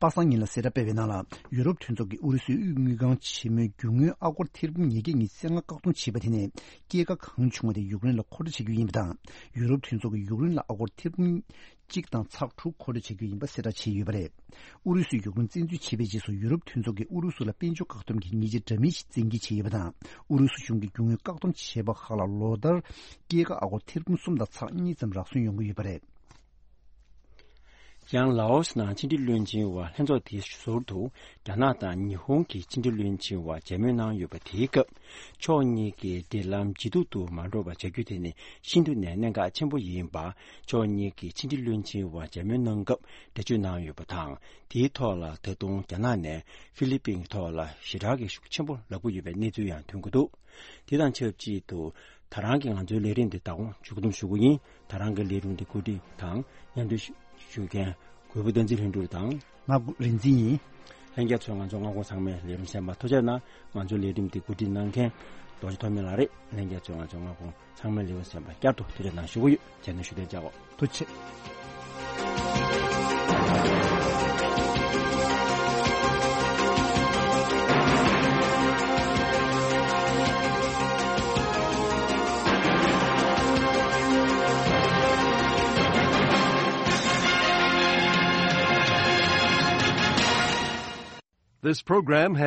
པ་སངས་ཉིན་ལ་གསལ་བསྒྲགས་སྤེལ་བའི་ནང་ལ། ཡུ་རོབ་མཐུན་ཚོགས་ཀྱིས་ཨུ་རུ་སུའི་དབུས་དངུལ་ཁང་ཆེན་མོའི་རྒྱུ་དངུལ་ཨ་སྒོར་ཐེར་འབུམ་ཉིས་བརྒྱ་ཉི་ཤུ་རྩ་ལྔ་བཀག་སྡོམ་བྱས་པ་དེ་ནི། སྐྱེད་ཀ་གང་བྱུང་བ་དེ་ཡུཀ་རེན་ལ་མཁོ་སྤྲོད་བྱ་རྒྱུ་ཡིན་པ་དང་། ཡུ་རོབ་མཐུན་ཚོགས་ཀྱིས་ཡུཀ་རེན་ལ་ཨ་སྒོར་ཐེར་འབུམ་གཅིག་དང་ཚེག་དྲུག་མཁོ་སྤྲོད་བྱ་རྒྱུ་ཡིན་པ་གསལ་བསྒྲགས་བྱས་ཡོད་པ་རེད། ཨུ་རུ་སུས་ཡུཀ་རེན་བཙན་འཛུལ་བྱས་པའི་རྗེས་སུ། ཡུ་རོབ་མཐུན་ཚོགས་ཀྱིས་ཨུ་རུ་སུ་ལ་དཔལ་འབྱོར་བཀག་སྡོམ་གྱི་ཉེས་ཆད་འདྲ་མིན་ཞིག་བཙན་འགེལ་བྱས་ཡོད་པ་དང་། ཨུ་རུ་སུ་གཞུང་གིས་རྒྱུ་དངུལ་བཀག་སྡོམ་བྱས་པ་ཁག་ལ་ལོ་ལྟར་སྐྱེད་ཀ་ཨ་སྒོར་ཐེར་འབུམ་གསུམ་དང་ཚེག་གཉིས་ཙམ་རག་སོན་ཡོང་གི་ཡོད་པ་རེད། ཡང་ལའོ་སི་ནང་ཕྱི་འབྲེལ་བློན་ཆེན་དབར་ལྷན་ཚོགས་དེའི་ཟུར་དུ། རྒྱ་ནག་དང་ཉི་ཧོང་གི་ཕྱི་འབྲེལ་བློན་ཆེན་དབར་མཇལ་མོལ་གནང་ཡོད་པ། དེའི་སྐབས། ཕྱོགས་གཉིས་ཀྱི་འབྲེལ་ལམ་ཇེ་སྡུག་ཏུ་མ་འགྲོ་བ་བྱ་རྒྱུ་དེ་ནི་ཤིན་ཏུ་ནས་གནད་འགག་ཆེན་པོ་ཡིན་པ། ཕྱོགས་གཉིས་ཀྱི་ཕྱི་འབྲེལ་བློན་ཆེན་དབར་མཇལ་མོལ་གནང་སྐབས་འགྲེལ་བརྗོད་གནང་ཡོད་པ་དང་། དེའི་ཐོག་ལ་ད་དུང་རྒྱ་ནག་ནས་ཧྥི་ལི་པིན་གྱི་ཐོག་ལ་ཞེ་དྲག་གི་ཤུགས་ཆེན་པོ་ལབ་ཀྱི་ཡོད་པའི་གནས་ཚུལ་ཡང་ཐོན་གྱི་འདུག་དེ་དང་ཆབས་ཅིག་ཏུ། ད་རང་གི་ང་ཚོའི་ལས་རིམ་འདི་ད་དུང་མཇུག་བསྡོམས་ཞུ་གི་ཡིན། ད་རང་གི་ལས་རིམ་འདི་གོ་སྒྲིག་དང་མཉམ་འབྲེལ་ཞུ་མཁན་གུས་པ་བསྟན་འཛིན་ལྷུན་གྲུབ་དང་། ང་རིག་འཛིན་ཡིན། ལྷན་རྒྱས་ཚོས་ང་ཚོ་མངའ་ཁོངས་ཚང་མའི་ལས་རིམ་གསན་པར་ཐུགས་རྗེ་གནང་། ང་ཚོའི་ལས་རིམ་འདི་གོ་སྒྲིག་གནང་མཁན་རྡོ་རྗེ་ཐོགས་མེད་ལགས་རེད། ལྷན་རྒྱས་ཚོས་ང་ཚོ་མངའ་ཁོངས་ཚང་མའི་ལས་རིམ་གསན་པར་བསྐྱར་དུ་ཐུགས་རྗེ་གནང་ཞུ་གི་ཡོད། རྗེས་ནས་ཞུ་དོན་བྱ་གོ། ཐུགས་རྗེ་ཆེ། This program has